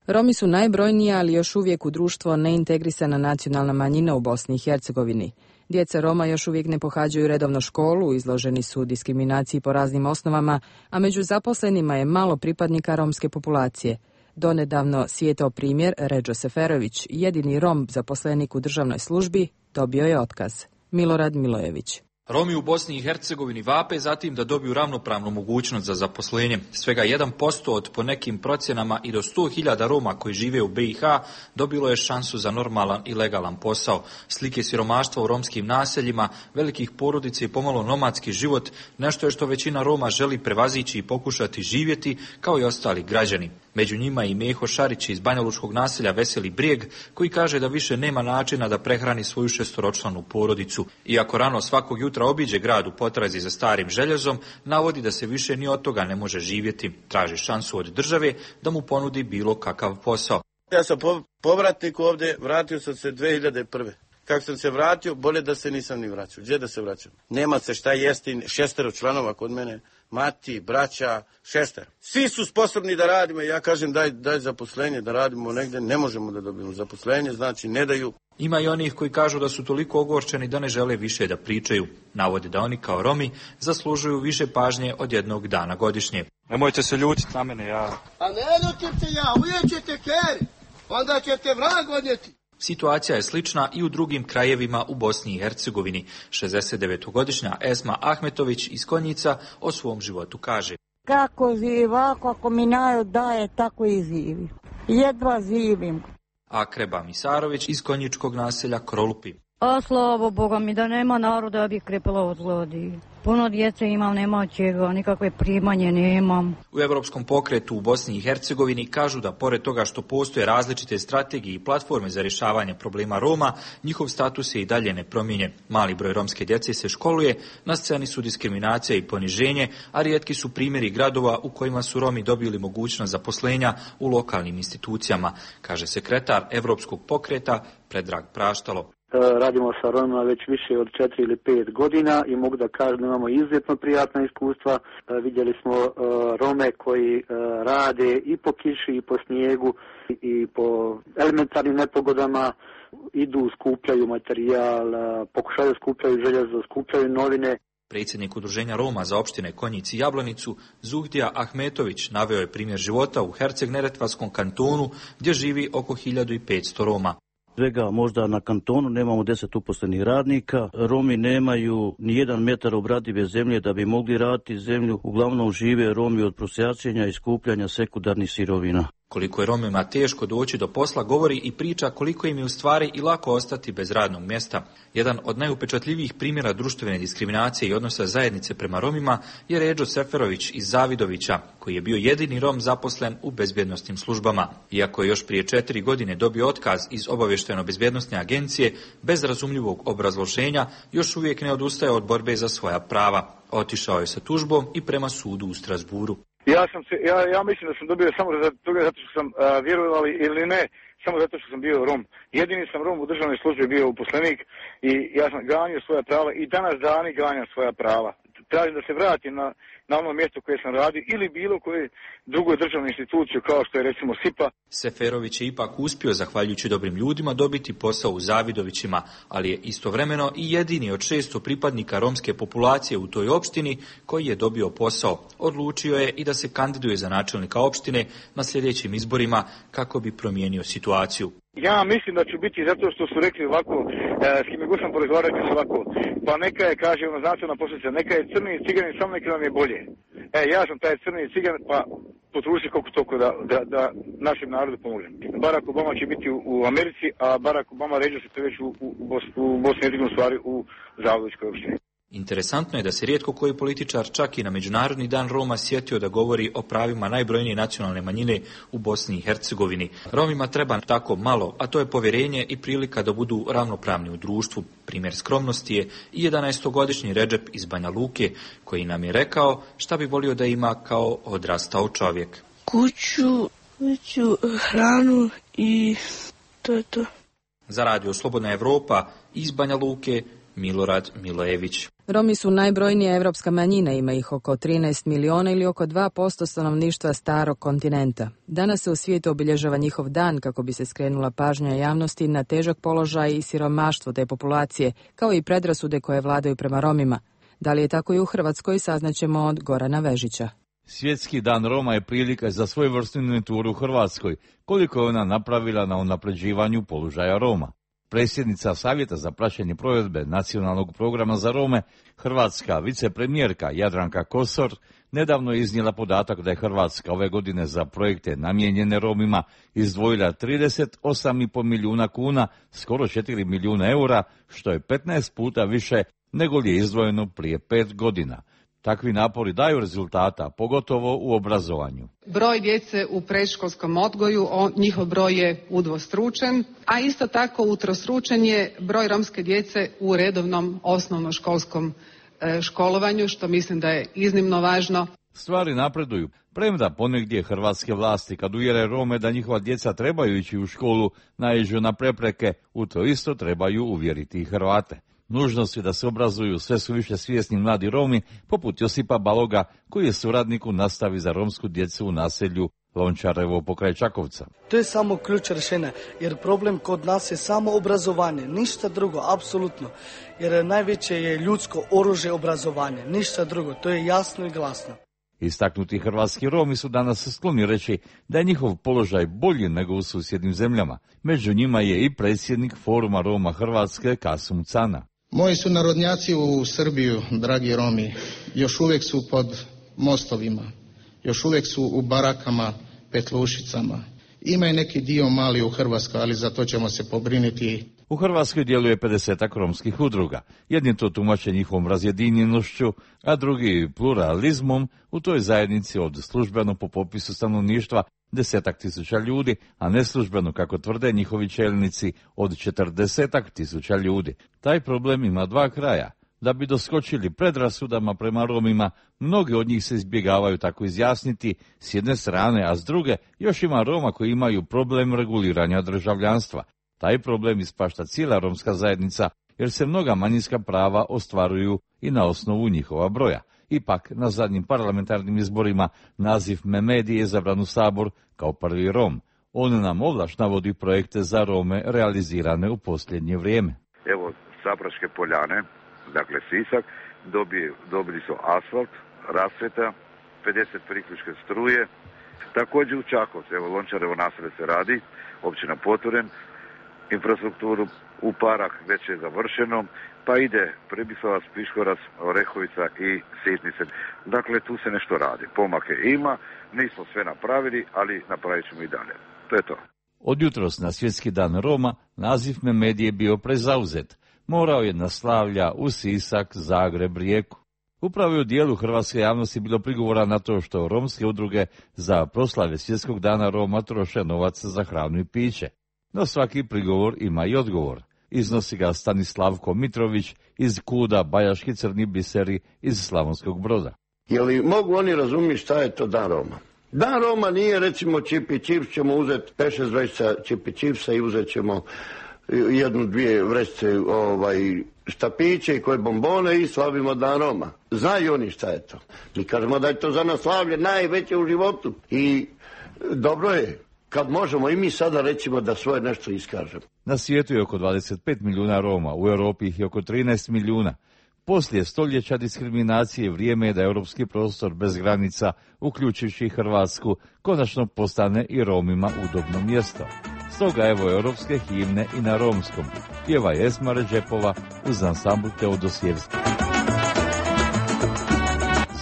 Romi su najbrojnija, ali još uvijek u društvo neintegrisana nacionalna manjina u Bosni i Hercegovini. Djeca Roma još uvijek ne pohađaju redovno školu, izloženi su diskriminaciji po raznim osnovama, a među zaposlenima je malo pripadnika romske populacije. Donedavno svijetao primjer Ređo Seferović, jedini Rom zaposlenik u državnoj službi, dobio je otkaz. Milorad Milojević. Romi u Bosni i Hercegovini vape zatim da dobiju ravnopravnu mogućnost za zaposlenje. Svega jedan posto od po nekim procjenama i do sto hiljada Roma koji žive u B i H dobilo je šansu za normalan i legalan posao. Slike siromaštva u romskim naseljima, velikih porodica i pomalo nomadski život, nešto je što većina Roma želi prevazići i pokušati živjeti kao i ostali građani. Među njima i Meho Šarić iz banjalučkog naselja Veseli Brijeg, koji kaže da više nema načina da prehrani svoju šestoročlanu porodicu. Iako rano svakog jutra obiđe grad u potrazi za starim željezom, navodi da se više ni od toga ne može živjeti. Traži šansu od države da mu ponudi bilo kakav posao. Ja sam povratnik ovdje, vratio sam se dvije hiljade prve. Kako sam se vratio, bolje da se nisam ni vraćao. Gdje da se vraćam? Nema se šta jesti, šestero članova kod mene, mati, braća, šester. Svi su sposobni da radimo, ja kažem daj, daj zaposlenje da radimo negdje, ne možemo da dobijemo zaposlenje, znači ne daju. Ima i onih koji kažu da su toliko ogorčeni da ne žele više da pričaju. Navode da oni kao Romi zaslužuju više pažnje od jednog dana godišnje. Nemojte se ljutiti na mene, ja... A ne ljutim se ja, uvijek ćete keri, onda ćete vrag odnijeti. Situacija je slična i u drugim krajevima u Bosni i Hercegovini. šezdesetdevetogodišnja Esma Ahmetović iz Konjica o svom životu kaže. Kako živa, kako mi narod daje, tako i živi. Jedva živim. A Kreba Misarović iz konjičkog naselja Krolupi. A slavo Boga mi da nema naroda, ja bih krepala od gladi. Puno djece imam, nema od čega, nikakve primanje nemam. U Evropskom pokretu u Bosni i Hercegovini kažu da pored toga što postoje različite strategije i platforme za rješavanje problema Roma, njihov status je i dalje nepromijenjen. Mali broj romske djece se školuje, na sceni su diskriminacija i poniženje, a rijetki su primjeri gradova u kojima su Romi dobili mogućnost zaposlenja u lokalnim institucijama, kaže sekretar Evropskog pokreta Predrag Praštalo. Radimo sa Romima već više od četiri ili pet godina i mogu da kažem da imamo izuzetno prijatna iskustva. Vidjeli smo Rome koji rade i po kiši i po snijegu i po elementarnim nepogodama, idu, skupljaju materijal, pokušaju skupljaju željezo, skupljaju novine. Predsjednik Udruženja Roma za opštine Konjic i Jablanicu, Zuhdija Ahmetović, naveo je primjer života u Herceg-Neretvanskom kantonu gdje živi oko hiljadu petsto Roma. Svega možda na kantonu nemamo deset uposlenih radnika. Romi nemaju ni jedan metar obradive zemlje da bi mogli raditi zemlju. Uglavnom žive Romi od prosjačenja i skupljanja sekundarnih sirovina. Koliko je Romima teško doći do posla govori i priča koliko im je u stvari i lako ostati bez radnog mjesta. Jedan od najupečatljivijih primjera društvene diskriminacije i odnosa zajednice prema Romima je Ređo Seferović iz Zavidovića, koji je bio jedini Rom zaposlen u bezbjednosnim službama. Iako je još prije četiri godine dobio otkaz iz obavještajno-bezbjednosne agencije, bez razumljivog obrazloženja, još uvijek ne odustaje od borbe za svoja prava. Otišao je sa tužbom i prema sudu u Strasburu. Ja sam se, ja, ja mislim da sam dobio samo zato, zato što sam a, vjerovali ili ne, samo zato što sam bio Rom. Jedini sam Rom u državnoj službi bio uposlenik i ja sam ganjao svoja prava i danas dani ganjam svoja prava. Tražim da se vratim na, na ono mjesto koje sam radio ili bilo koje drugoj državnoj instituciju kao što je recimo S I P A. Seferović je ipak uspio, zahvaljujući dobrim ljudima, dobiti posao u Zavidovićima, ali je istovremeno i jedini od šesto pripadnika romske populacije u toj opštini koji je dobio posao. Odlučio je i da se kandiduje za načelnika opštine na sljedećim izborima kako bi promijenio situaciju. Ja mislim da ću biti zato što su rekli ovako, e, s kime god sam porazgovarao su ovako, pa neka je, kaže ono znanstvena posljedica, neka je crni ciganin, samo neka nam je bolje. E, ja sam taj crni cigan, pa potruži koliko toliko da, da, da našem narodu pomožem. Barack Obama će biti u, u Americi, a Barack Obama ređe se to već u, u, u, Bos, u Bosni i Hercegovini, stvari u Zavidovićkoj opštini. Interesantno je da se rijetko koji političar čak i na Međunarodni dan Roma sjetio da govori o pravima najbrojnije nacionalne manjine u Bosni i Hercegovini. Romima treba tako malo, a to je povjerenje i prilika da budu ravnopravni u društvu. Primjer skromnosti je i jedanaestogodišnji Redžep iz Banja Luke, koji nam je rekao šta bi volio da ima kao odrastao čovjek. Kuću, kuću, hranu i to je to. Za Radio Slobodna Evropa iz Banja Luke, Milorad Milojević. Romi su najbrojnija evropska manjina, ima ih oko trinaest miliona ili oko dva posto stanovništva starog kontinenta. Danas se u svijetu obilježava njihov dan kako bi se skrenula pažnja javnosti na težak položaj i siromaštvo te populacije, kao i predrasude koje vladaju prema Romima. Da li je tako i u Hrvatskoj, saznaćemo od Gorana Vežića. Svjetski dan Roma je prilika za svojevrsnu inventuru u Hrvatskoj, koliko je ona napravila na unapređivanju položaja Roma. Predsjednica Savjeta za praćenje provedbe Nacionalnog programa za Rome, hrvatska vicepremjerka Jadranka Kosor, nedavno je iznijela podatak da je Hrvatska ove godine za projekte namijenjene Romima izdvojila trideset osam i pol milijuna kuna, skoro četiri milijuna eura, što je petnaest puta više nego li je izdvojeno prije pet godina. Takvi napori daju rezultata, pogotovo u obrazovanju. Broj djece u predškolskom odgoju, njihov broj je udvostručen, a isto tako utrostručen je broj romske djece u redovnom osnovnoškolskom školovanju, što mislim da je iznimno važno. Stvari napreduju, premda ponegdje hrvatske vlasti kad uvjere Rome da njihova djeca trebaju ići u školu, naiđu na prepreke, u to isto trebaju uvjeriti i Hrvate. Nužnosti da se obrazuju sve su više svjesni mladi Romi, poput Josipa Baloga, koji je suradnik u nastavi za romsku djecu u naselju Lončarevo pokraj Čakovca. To je samo ključ rješenja, jer problem kod nas je samo obrazovanje, ništa drugo, apsolutno. Jer najveće je ljudsko oružje obrazovanje, ništa drugo, to je jasno i glasno. Istaknuti hrvatski Romi su danas skloni reći da je njihov položaj bolji nego u susjednim zemljama. Među njima je i predsjednik Foruma Roma Hrvatske Kasum Cana. Moji sunarodnjaci u Srbiju, dragi Romi, još uvijek su pod mostovima, još uvijek su u barakama, petlušicama. Ima i neki dio mali u Hrvatskoj, ali za to ćemo se pobriniti. U Hrvatskoj djeluje pedesetak romskih udruga. Jedni to tumače njihovom razjedinjenošću, a drugi pluralizmom. U toj zajednici od službeno po popisu stanovništva desetak tisuća ljudi, a neslužbeno, kako tvrde njihovi čelnici, od četrdesetak tisuća ljudi. Taj problem ima dva kraja. Da bi doskočili predrasudama prema Romima, mnogi od njih se izbjegavaju tako izjasniti s jedne strane, a s druge još ima Roma koji imaju problem reguliranja državljanstva. Taj problem ispašta cijela romska zajednica, jer se mnoga manjinska prava ostvaruju i na osnovu njihova broja. Ipak, na zadnjim parlamentarnim izborima naziv Memedi je izabran u Sabor kao prvi Rom. On nam ovlaš navodi projekte za Rome realizirane u posljednje vrijeme. Evo, Sapraške poljane, dakle Sisak, dobije, dobili su asfalt, rasvjeta, pedeset priključke struje. Također u Čakovcu, evo Lončarevo naselje se radi, općina Poturen, infrastrukturu u Parah već je završeno, pa ide Pribisovac, Piškorac, Orehovica i Sitnice. Dakle, tu se nešto radi. Pomake ima, nismo sve napravili, ali napravit ćemo i dalje. To je to. Od jutros na Svjetski dan Roma naziv Memedije je bio prezauzet. Morao je na slavlja u Sisak, Zagreb, Rijeku. Upravo je u dijelu hrvatske javnosti bilo prigovora na to što romske udruge za proslave Svjetskog dana Roma troše novac za hranu i piće. No svaki prigovor ima i odgovor. Iznosi ga Stanislavko Mitrović iz Kuda, Bajaški crni biseri iz Slavonskog Broda. Je li mogu oni razumjeti šta je to dan Roma? Dan Roma nije recimo čipi čips, ćemo uzeti pet šest vrećica čipi čipsa i uzet ćemo jednu, dvije vrećice ovaj, štapiće i koje bombone i slavimo dan Roma. Znaju oni šta je to. Mi kažemo da je to za nas slavlje najveće u životu i dobro je kad možemo i mi sada recimo da svoje nešto iskažemo. Na svijetu je oko dvadeset pet milijuna Roma, u Europi ih je oko trinaest milijuna. Poslije stoljeća diskriminacije vrijeme je da europski prostor bez granica, uključujući Hrvatsku, konačno postane i Romima udobno mjesto. Stoga evo europske himne i na romskom. Pjeva Esma Ređepova uz ansambl Teodosijevski.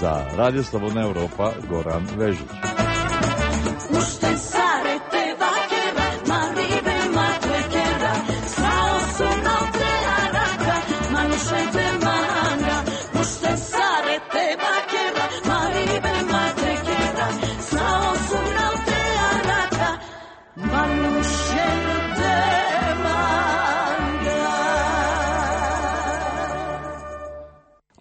Za Radio Slobodna Europa, Goran Vežić.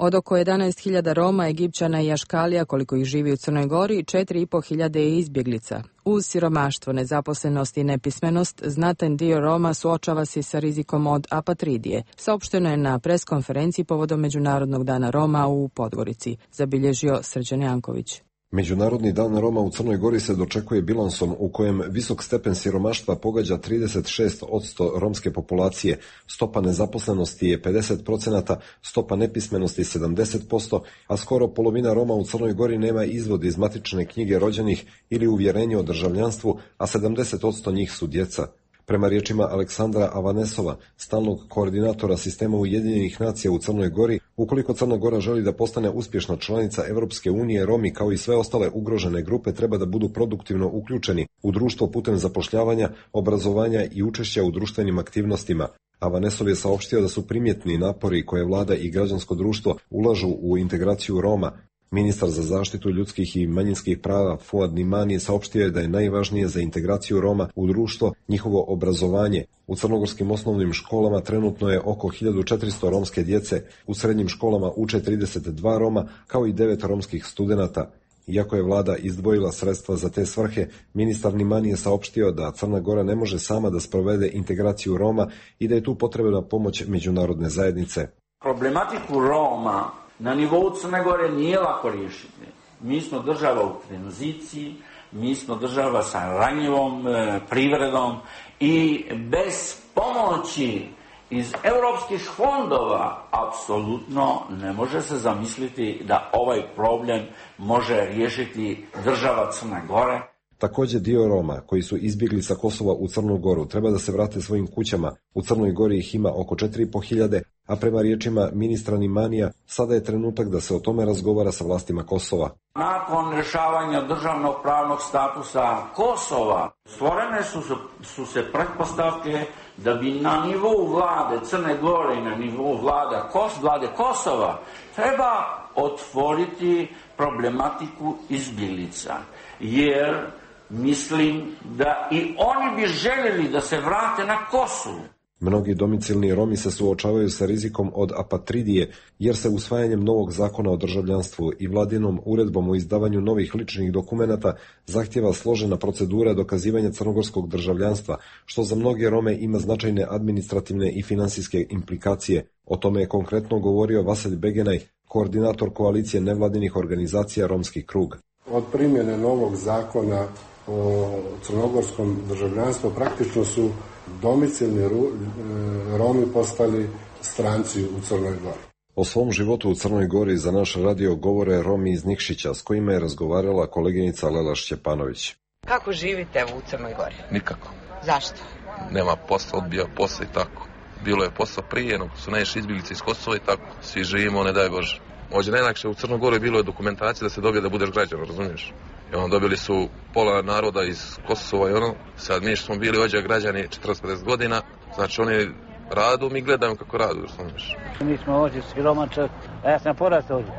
Od oko jedanaest hiljada Roma, Egipćana i Aškalija, koliko ih živi u Crnoj Gori, četiri i pol hiljade je izbjeglica. Uz siromaštvo, nezaposlenost i nepismenost, znatan dio Roma suočava se sa rizikom od apatridije. Saopšteno je na preskonferenciji povodom Međunarodnog dana Roma u Podgorici, zabilježio Srđan Janković. Međunarodni dan Roma u Crnoj Gori se dočekuje bilansom u kojem visok stepen siromaštva pogađa trideset šest posto romske populacije, stopa nezaposlenosti je pedeset posto, stopa nepismenosti sedamdeset posto, a skoro polovina Roma u Crnoj Gori nema izvod iz matične knjige rođenih ili uvjerenje o državljanstvu, a sedamdeset posto njih su djeca. Prema riječima Aleksandra Avanesova, stalnog koordinatora sistema Ujedinjenih nacija u Crnoj Gori, ukoliko Crna Gora želi da postane uspješna članica Europske unije, Romi kao i sve ostale ugrožene grupe treba da budu produktivno uključeni u društvo putem zapošljavanja, obrazovanja i učešća u društvenim aktivnostima. Avanesov je saopštio da su primjetni napori koje vlada i građansko društvo ulažu u integraciju Roma. Ministar za zaštitu ljudskih i manjinskih prava Fuad Nimani saopštio je da je najvažnije za integraciju Roma u društvo njihovo obrazovanje. U crnogorskim osnovnim školama trenutno je oko hiljadu četiristo romske djece, u srednjim školama uče trideset dva Roma kao i devet romskih studenata. Iako je vlada izdvojila sredstva za te svrhe, ministar Nimani je saopštio da Crna Gora ne može sama da sprovede integraciju Roma i da je tu potrebna pomoć međunarodne zajednice. Problematiku Roma na nivou Crne Gore nije lako riješiti. Mi smo država u tranziciji, mi smo država sa ranjivom e, privredom i bez pomoći iz europskih fondova apsolutno ne može se zamisliti da ovaj problem može riješiti država Crne Gore. Također dio Roma koji su izbjegli sa Kosova u Crnu Goru treba da se vrate svojim kućama. U Crnoj Gori ih ima oko četiri i pol hiljade, a prema riječima ministra Nimanija sada je trenutak da se o tome razgovara sa vlastima Kosova. Nakon rješavanja državnog pravnog statusa Kosova stvorene su, su se pretpostavke da bi na nivou vlade Crne Gore i na nivou vlada Kos, vlade Kosova treba otvoriti problematiku izbjeglica, jer mislim da i oni bi željeli da se vrate na Kosovo. Mnogi domicilni Romi se suočavaju sa rizikom od apatridije, jer se usvajanjem novog zakona o državljanstvu i vladinom uredbom o izdavanju novih ličnih dokumenata zahtjeva složena procedura dokazivanja crnogorskog državljanstva, što za mnoge Rome ima značajne administrativne i finansijske implikacije. O tome je konkretno govorio Vaselj Begenaj, koordinator koalicije nevladinih organizacija Romski krug. Od primjene novog zakona o crnogorskom državljanstvu praktično su domicilni Romi postali stranci u Crnoj Gori. O svom životu u Crnoj Gori za naš radio govore Romi iz Nikšića, s kojima je razgovarala koleginica Lela Šćepanović. Kako živite u Crnoj Gori? Nikako. Zašto? Nema posla, odbija posla i tako. bilo je posla prije, no su najviše izbjeglice iz Kosova i tako, svi živimo, ne daj Bože. Ovdje najlakše u Crnogori bilo je dokumentacija da se dobije da budeš građan, razumiješ? I ono, dobili su pola naroda iz Kosova i ono, sad mi smo bili ovdje građani četrdeset pedeset godina, znači oni radu, mi gledamo kako radu, razumiješ? Mi smo ovdje siromačak, a ja sam porastao ovdje.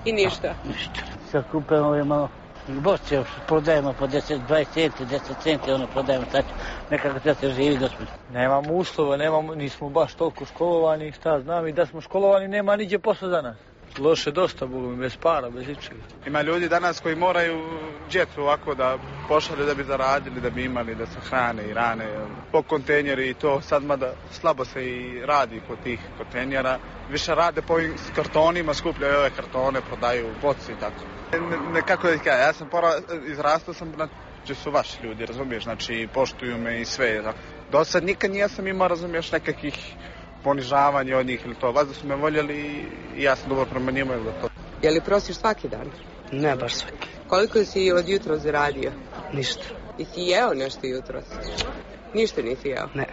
I ništa? Ništa. Sad kupujemo ovdje malo bošće, prodajemo po deset, dvadeset centi, deset centi, ono prodajemo, sad nekako sad se živi gospodin. Nemamo uslova, nemamo, nismo baš toliko školovani, šta znam, i da smo školovani nema niđe posla za nas. Loše dosta, Bogu, bez para, bez ičega. Ima ljudi danas koji moraju djecu ovako da pošalju da bi zaradili, da bi imali, da se hrane i rane po kontejneri i to. Sad mada slabo se i radi kod tih kontejnera. Više rade po ovim kartonima, skupljaju ove kartone, prodaju boci i tako. Ne, ne, kako da ti kažem, ja sam pora, izrastao sam, znači su vaši ljudi, razumiješ, znači poštuju me i sve. Do sad nikad nisam imao, razumiješ, nekakvih ponižavanje od njih ili to. Vas da su me voljeli i ja sam dobro prema njima ili da to. Je li prosiš svaki dan? Ne baš svaki. Koliko si od jutro zaradio? Ništa. I si jeo nešto jutros? Ništa nisi jeo? Ne.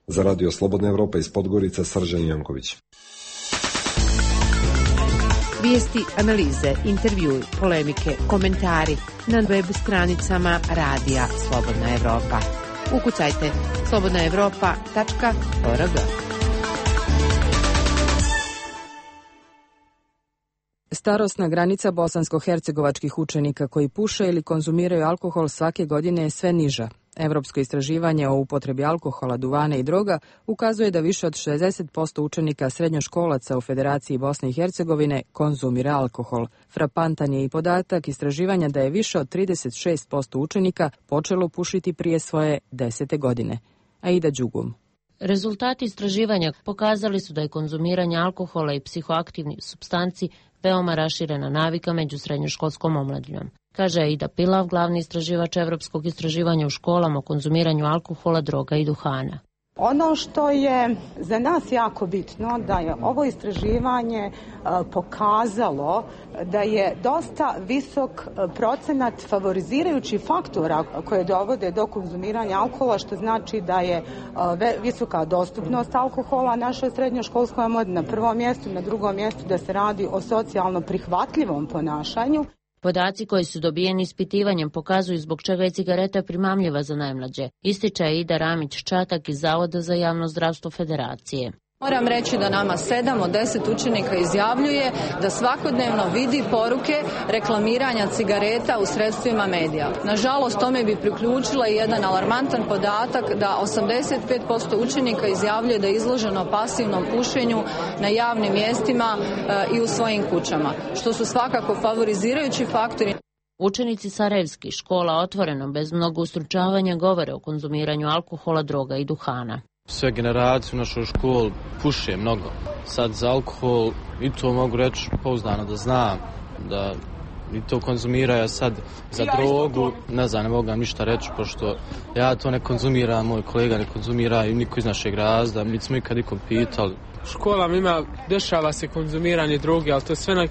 Za Radio Slobodna Evropa iz Podgorice, Srđan Janković. Vijesti, analize, intervjui, polemike, komentari na web stranicama Radija Slobodna Evropa. Ukucajte slobodna evropa tačka org. Starosna granica bosansko-hercegovačkih učenika koji puše ili konzumiraju alkohol svake godine je sve niža. Evropsko istraživanje o upotrebi alkohola, duvana i droga ukazuje da više od šezdeset posto učenika srednjoškolaca u Federaciji Bosne i Hercegovine konzumira alkohol. Frapantan je i podatak istraživanja da je više od trideset šest posto učenika počelo pušiti prije svoje desete godine. Aida Đugum. Rezultati istraživanja pokazali su da je konzumiranje alkohola i psihoaktivnih supstanci veoma raširena navika među srednjoškolskom omladinom. Kaže Aida Pilav, glavni istraživač Evropskog istraživanja u školama o konzumiranju alkohola, droga i duhana. Ono što je za nas jako bitno da je ovo istraživanje pokazalo da je dosta visok procenat favorizirajućih faktora koje dovode do konzumiranja alkohola, što znači da je visoka dostupnost alkohola našoj srednjoškolskoj omladini na prvom mjestu, na drugom mjestu da se radi o socijalno prihvatljivom ponašanju. Podaci koji su dobijeni ispitivanjem pokazuju zbog čega je cigareta primamljiva za najmlađe, ističe Ida Ramić-Čatak iz Zavoda za javno zdravstvo Federacije. Moram reći da nama sedam od deset učenika izjavljuje da svakodnevno vidi poruke reklamiranja cigareta u sredstvima medija. Nažalost, tome bi priključila i jedan alarmantan podatak da osamdeset pet posto učenika izjavljuje da je izloženo pasivnom pušenju na javnim mjestima e, i u svojim kućama, što su svakako favorizirajući faktori. Učenici sarajevskih škola otvoreno, bez mnogo ustručavanja, govore o konzumiranju alkohola, droga i duhana. Sve generacije u našoj školi puše mnogo. Sad za alkohol i to mogu reći pouzdano da znam, da i to konzumiraju. Sad za drogu, ne znam, ne mogu vam ništa reći, pošto ja to ne konzumiram, moj kolega ne konzumira i niko iz našeg razda, mi smo ikad nikom pitali. U školama ima, dešava se konzumiranje droge, ali to sve na...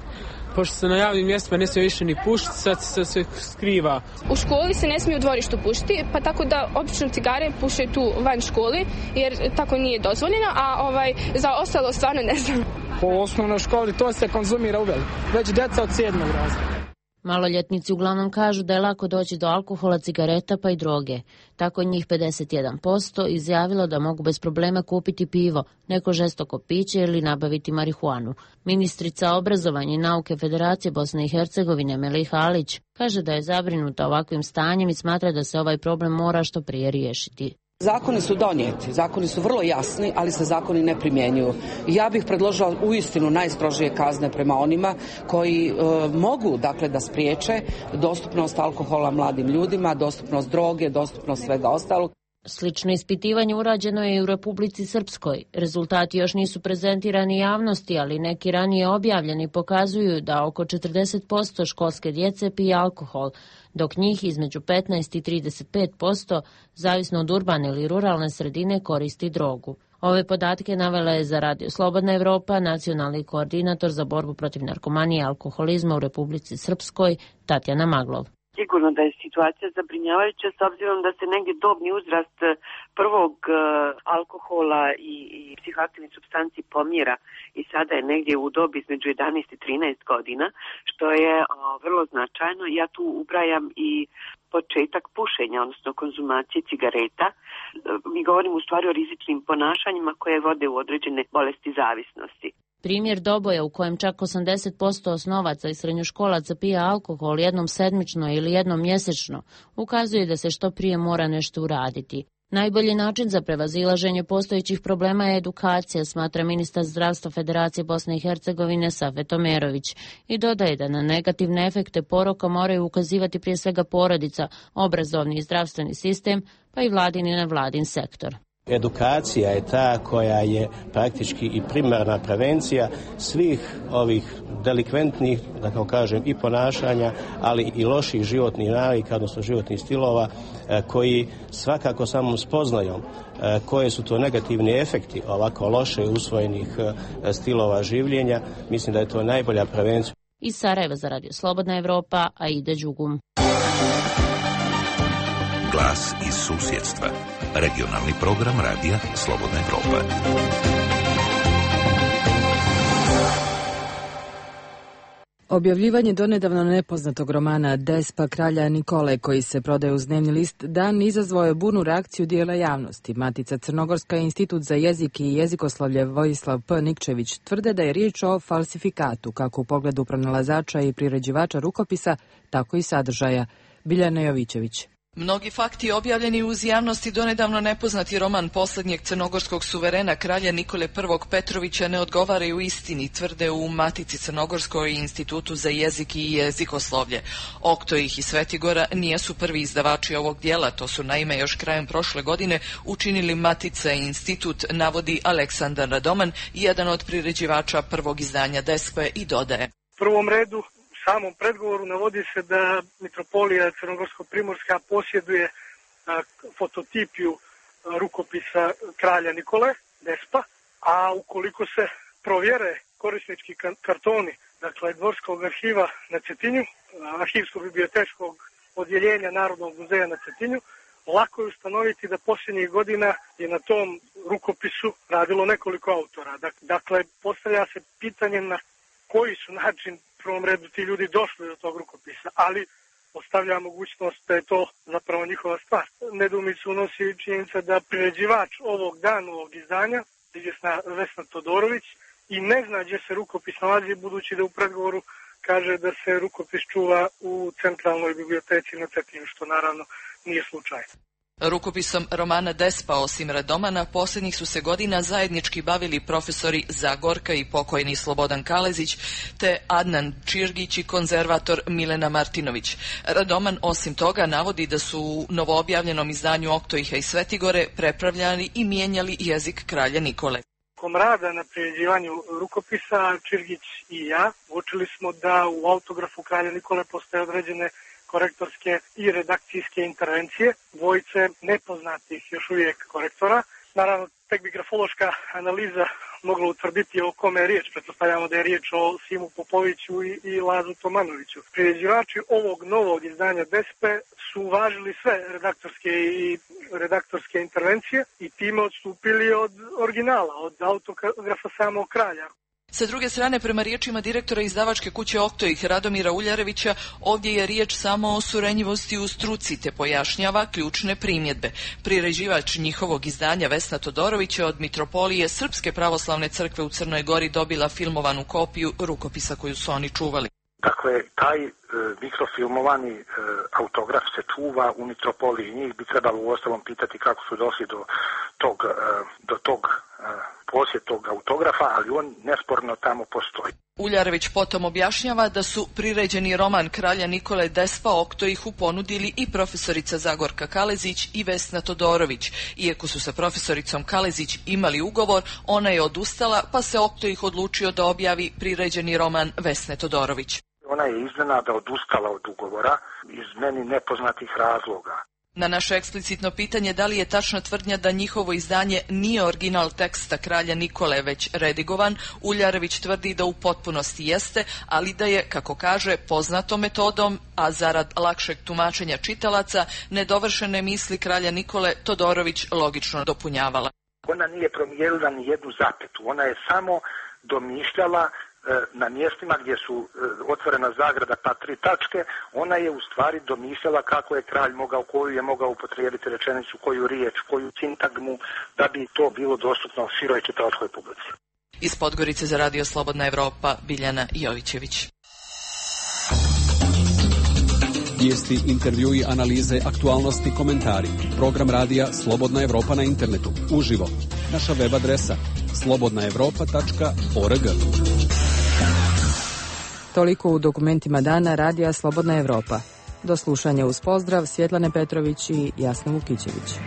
Pošto se na javnim mjestima ne smije više ni pušiti, sad se sve skriva. U školi se ne smije u dvorištu pušiti, pa tako da obično cigare puše tu van školi, jer tako nije dozvoljeno, a ovaj, za ostalo stvarno ne znam. Po osnovnoj školi to se konzumira uvijek, već djeca od sedmog razreda. Maloljetnici uglavnom kažu da je lako doći do alkohola, cigareta pa i droge. Tako njih pedeset jedan posto izjavilo da mogu bez problema kupiti pivo, neko žestoko piće ili nabaviti marihuanu. Ministrica obrazovanja i nauke Federacije Bosne i Hercegovine Meliha Alić kaže da je zabrinuta ovakvim stanjem i smatra da se ovaj problem mora što prije riješiti. Zakoni su donijeti, zakoni su vrlo jasni, ali se zakoni ne primjenjuju. Ja bih predložila uistinu najstrožije kazne prema onima koji e, mogu dakle da spriječe dostupnost alkohola mladim ljudima, dostupnost droge, dostupnost svega ostalog. Slično ispitivanje urađeno je i u Republici Srpskoj. Rezultati još nisu prezentirani javnosti, ali neki ranije objavljeni pokazuju da oko četrdeset posto školske djece pije alkohol, dok njih između petnaest i trideset pet posto, zavisno od urbane ili ruralne sredine, koristi drogu. Ove podatke navela je za Radio Slobodna Evropa nacionalni koordinator za borbu protiv narkomanije i alkoholizma u Republici Srpskoj Tatjana Maglov. Sigurno da je situacija zabrinjavajuća s obzirom da se negdje dobni uzrast prvog alkohola i, i psihoaktivnih supstanci pomjera i sada je negdje u dobi između jedanaest i trinaest godina, što je o, vrlo značajno. Ja tu ubrajam i početak pušenja, odnosno konzumacije cigareta. Mi govorimo u stvari o rizičnim ponašanjima koje vode u određene bolesti zavisnosti. Primjer Doboja u kojem čak osamdeset posto osnovaca i srednjoškolaca pije alkohol jednom sedmično ili jednom mjesečno ukazuje da se što prije mora nešto uraditi. Najbolji način za prevazilaženje postojećih problema je edukacija, smatra ministar zdravstva Federacije Bosne i Hercegovine Safet Omerović i dodaje da na negativne efekte poroka moraju ukazivati prije svega porodica, obrazovni i zdravstveni sistem, pa i vladin i nevladin sektor. Edukacija je ta koja je praktički i primarna prevencija svih ovih delikventnih, da kao kažem, i ponašanja, ali i loših životnih navika, odnosno životnih stilova, koji svakako samom spoznajom koje su to negativni efekti ovako loše usvojenih stilova življenja, mislim da je to najbolja prevencija. Iz Sarajeva za Radio Slobodna Evropa, Aida Đugum. Glas iz susjedstva. Regionalni program Radija Slobodna Evropa. Objavljivanje donedavno nepoznatog romana Despa kralja Nikole, koji se prodaje uz dnevni list Dan, izazvao je burnu reakciju dijela javnosti. Matica Crnogorska i Institut za jezik i jezikoslovlje Vojislav P. Nikčević tvrde da je riječ o falsifikatu, kako u pogledu pronalazača i priređivača rukopisa, tako i sadržaja. Biljana Jovićević. Mnogi fakti objavljeni uz javnosti donedavno nepoznati roman posljednjeg crnogorskog suverena kralja Nikole I. Petrovića ne odgovaraju istini, tvrde u Matici Crnogorskoj i Institutu za jezik i jezikoslovlje. Oktojih i Svetigora nijesu prvi izdavači ovog dijela, to su naime još krajem prošle godine učinili Matica i Institut, navodi Aleksandar Radoman, jedan od priređivača prvog izdanja Despe, i dodaje. U prvom redu u samom predgovoru navodi se da Mitropolija Crnogorsko-Primorska posjeduje a, fototipiju a, rukopisa kralja Nikole, Despa, a ukoliko se provjere korisnički kartoni, dakle Dvorskog arhiva na Cetinju, arhivsko-bibliotečkog odjeljenja Narodnog muzeja na Cetinju, lako je ustanoviti da posljednjih godina je na tom rukopisu radilo nekoliko autora. Dakle, postavlja se pitanje na koji su način u prvom redu ti ljudi došli do tog rukopisa, ali ostavlja mogućnost da je to zapravo njihova stvar. Nedoumicu unosi činjenica da priređivač ovog dana, ovog izdanja, izvjesna Vesna Todorović, i ne zna gdje se rukopis nalazi, budući da u predgovoru kaže da se rukopis čuva u centralnoj biblioteci na Cetinju, što naravno nije slučaj. Rukopisom romana Despa, osim Radomana, posljednjih su se godina zajednički bavili profesori Zagorka i pokojni Slobodan Kalezić, te Adnan Čirgić i konzervator Milena Martinović. Radoman osim toga navodi da su u novoobjavljenom izdanju Oktojiha i Svetigore prepravljali i mijenjali jezik kralja Nikole. Kom rada na priređivanju rukopisa, Čirgić i ja uočili smo da u autografu kralja Nikole postoje određene korektorske i redakcijske intervencije, dvojice nepoznatih još uvijek korektora. Naravno, tek bi grafološka analiza mogla utvrditi o kome je riječ. Pretpostavljamo da je riječ o Simu Popoviću i, i Lazu Tomanoviću. Priređivači ovog novog izdanja Despe su uvažili sve redaktorske i redaktorske intervencije i time odstupili od originala, od autografa samog kralja. Sa druge strane, prema riječima direktora izdavačke kuće Oktojih Radomira Uljarevića, ovdje je riječ samo o surenjivosti u struci, te pojašnjava ključne primjedbe. Priređivač njihovog izdanja Vesna Todorović je od Mitropolije Srpske pravoslavne crkve u Crnoj Gori dobila filmovanu kopiju rukopisa koju su oni čuvali. Dakle, taj e, mikrofilmovani e, autograf se čuva u Mitropoliji. Njih bi trebalo uostalom pitati kako su došli do tog, e, do tog e, posjed tog autografa, ali on nesporno tamo postoji. Uljarević potom objašnjava da su priređeni roman kralja Nikole Despa Oktojihu ponudili i profesorica Zagorka Kalezić i Vesna Todorović. Iako su sa profesoricom Kalezić imali ugovor, ona je odustala, pa se Oktojih odlučio da objavi priređeni roman Vesne Todorović. Ona je iznenada odustala od ugovora iz meni nepoznatih razloga. Na naše eksplicitno pitanje da li je tačna tvrdnja da njihovo izdanje nije original teksta kralja Nikole već redigovan, Uljarević tvrdi da u potpunosti jeste, ali da je, kako kaže, poznatom metodom, a zarad lakšeg tumačenja čitalaca, nedovršene misli kralja Nikole Todorović logično dopunjavala. Ona nije promijenila ni jednu zapetu, ona je samo domišljala na mjestima gdje su otvorena zagrada pa tri tačke, ona je u stvari domišljala kako je kralj mogao, koju je mogao upotrijebiti rečenicu, koju riječ, koju sintagmu, da bi to bilo dostupno široj čitalačkoj publici. Iz Podgorice za Radio Slobodna Evropa, Biljana Jovićević. Vijesti, intervjui, analize, aktualnosti, komentari. Program radija Slobodna Evropa na internetu. Uživo. Naša web adresa slobodna evropa tačka org. Toliko u dokumentima dana Radija Slobodna Evropa. Do slušanja uz pozdrav, Svjetlane Petrović i Jasna Vukićević.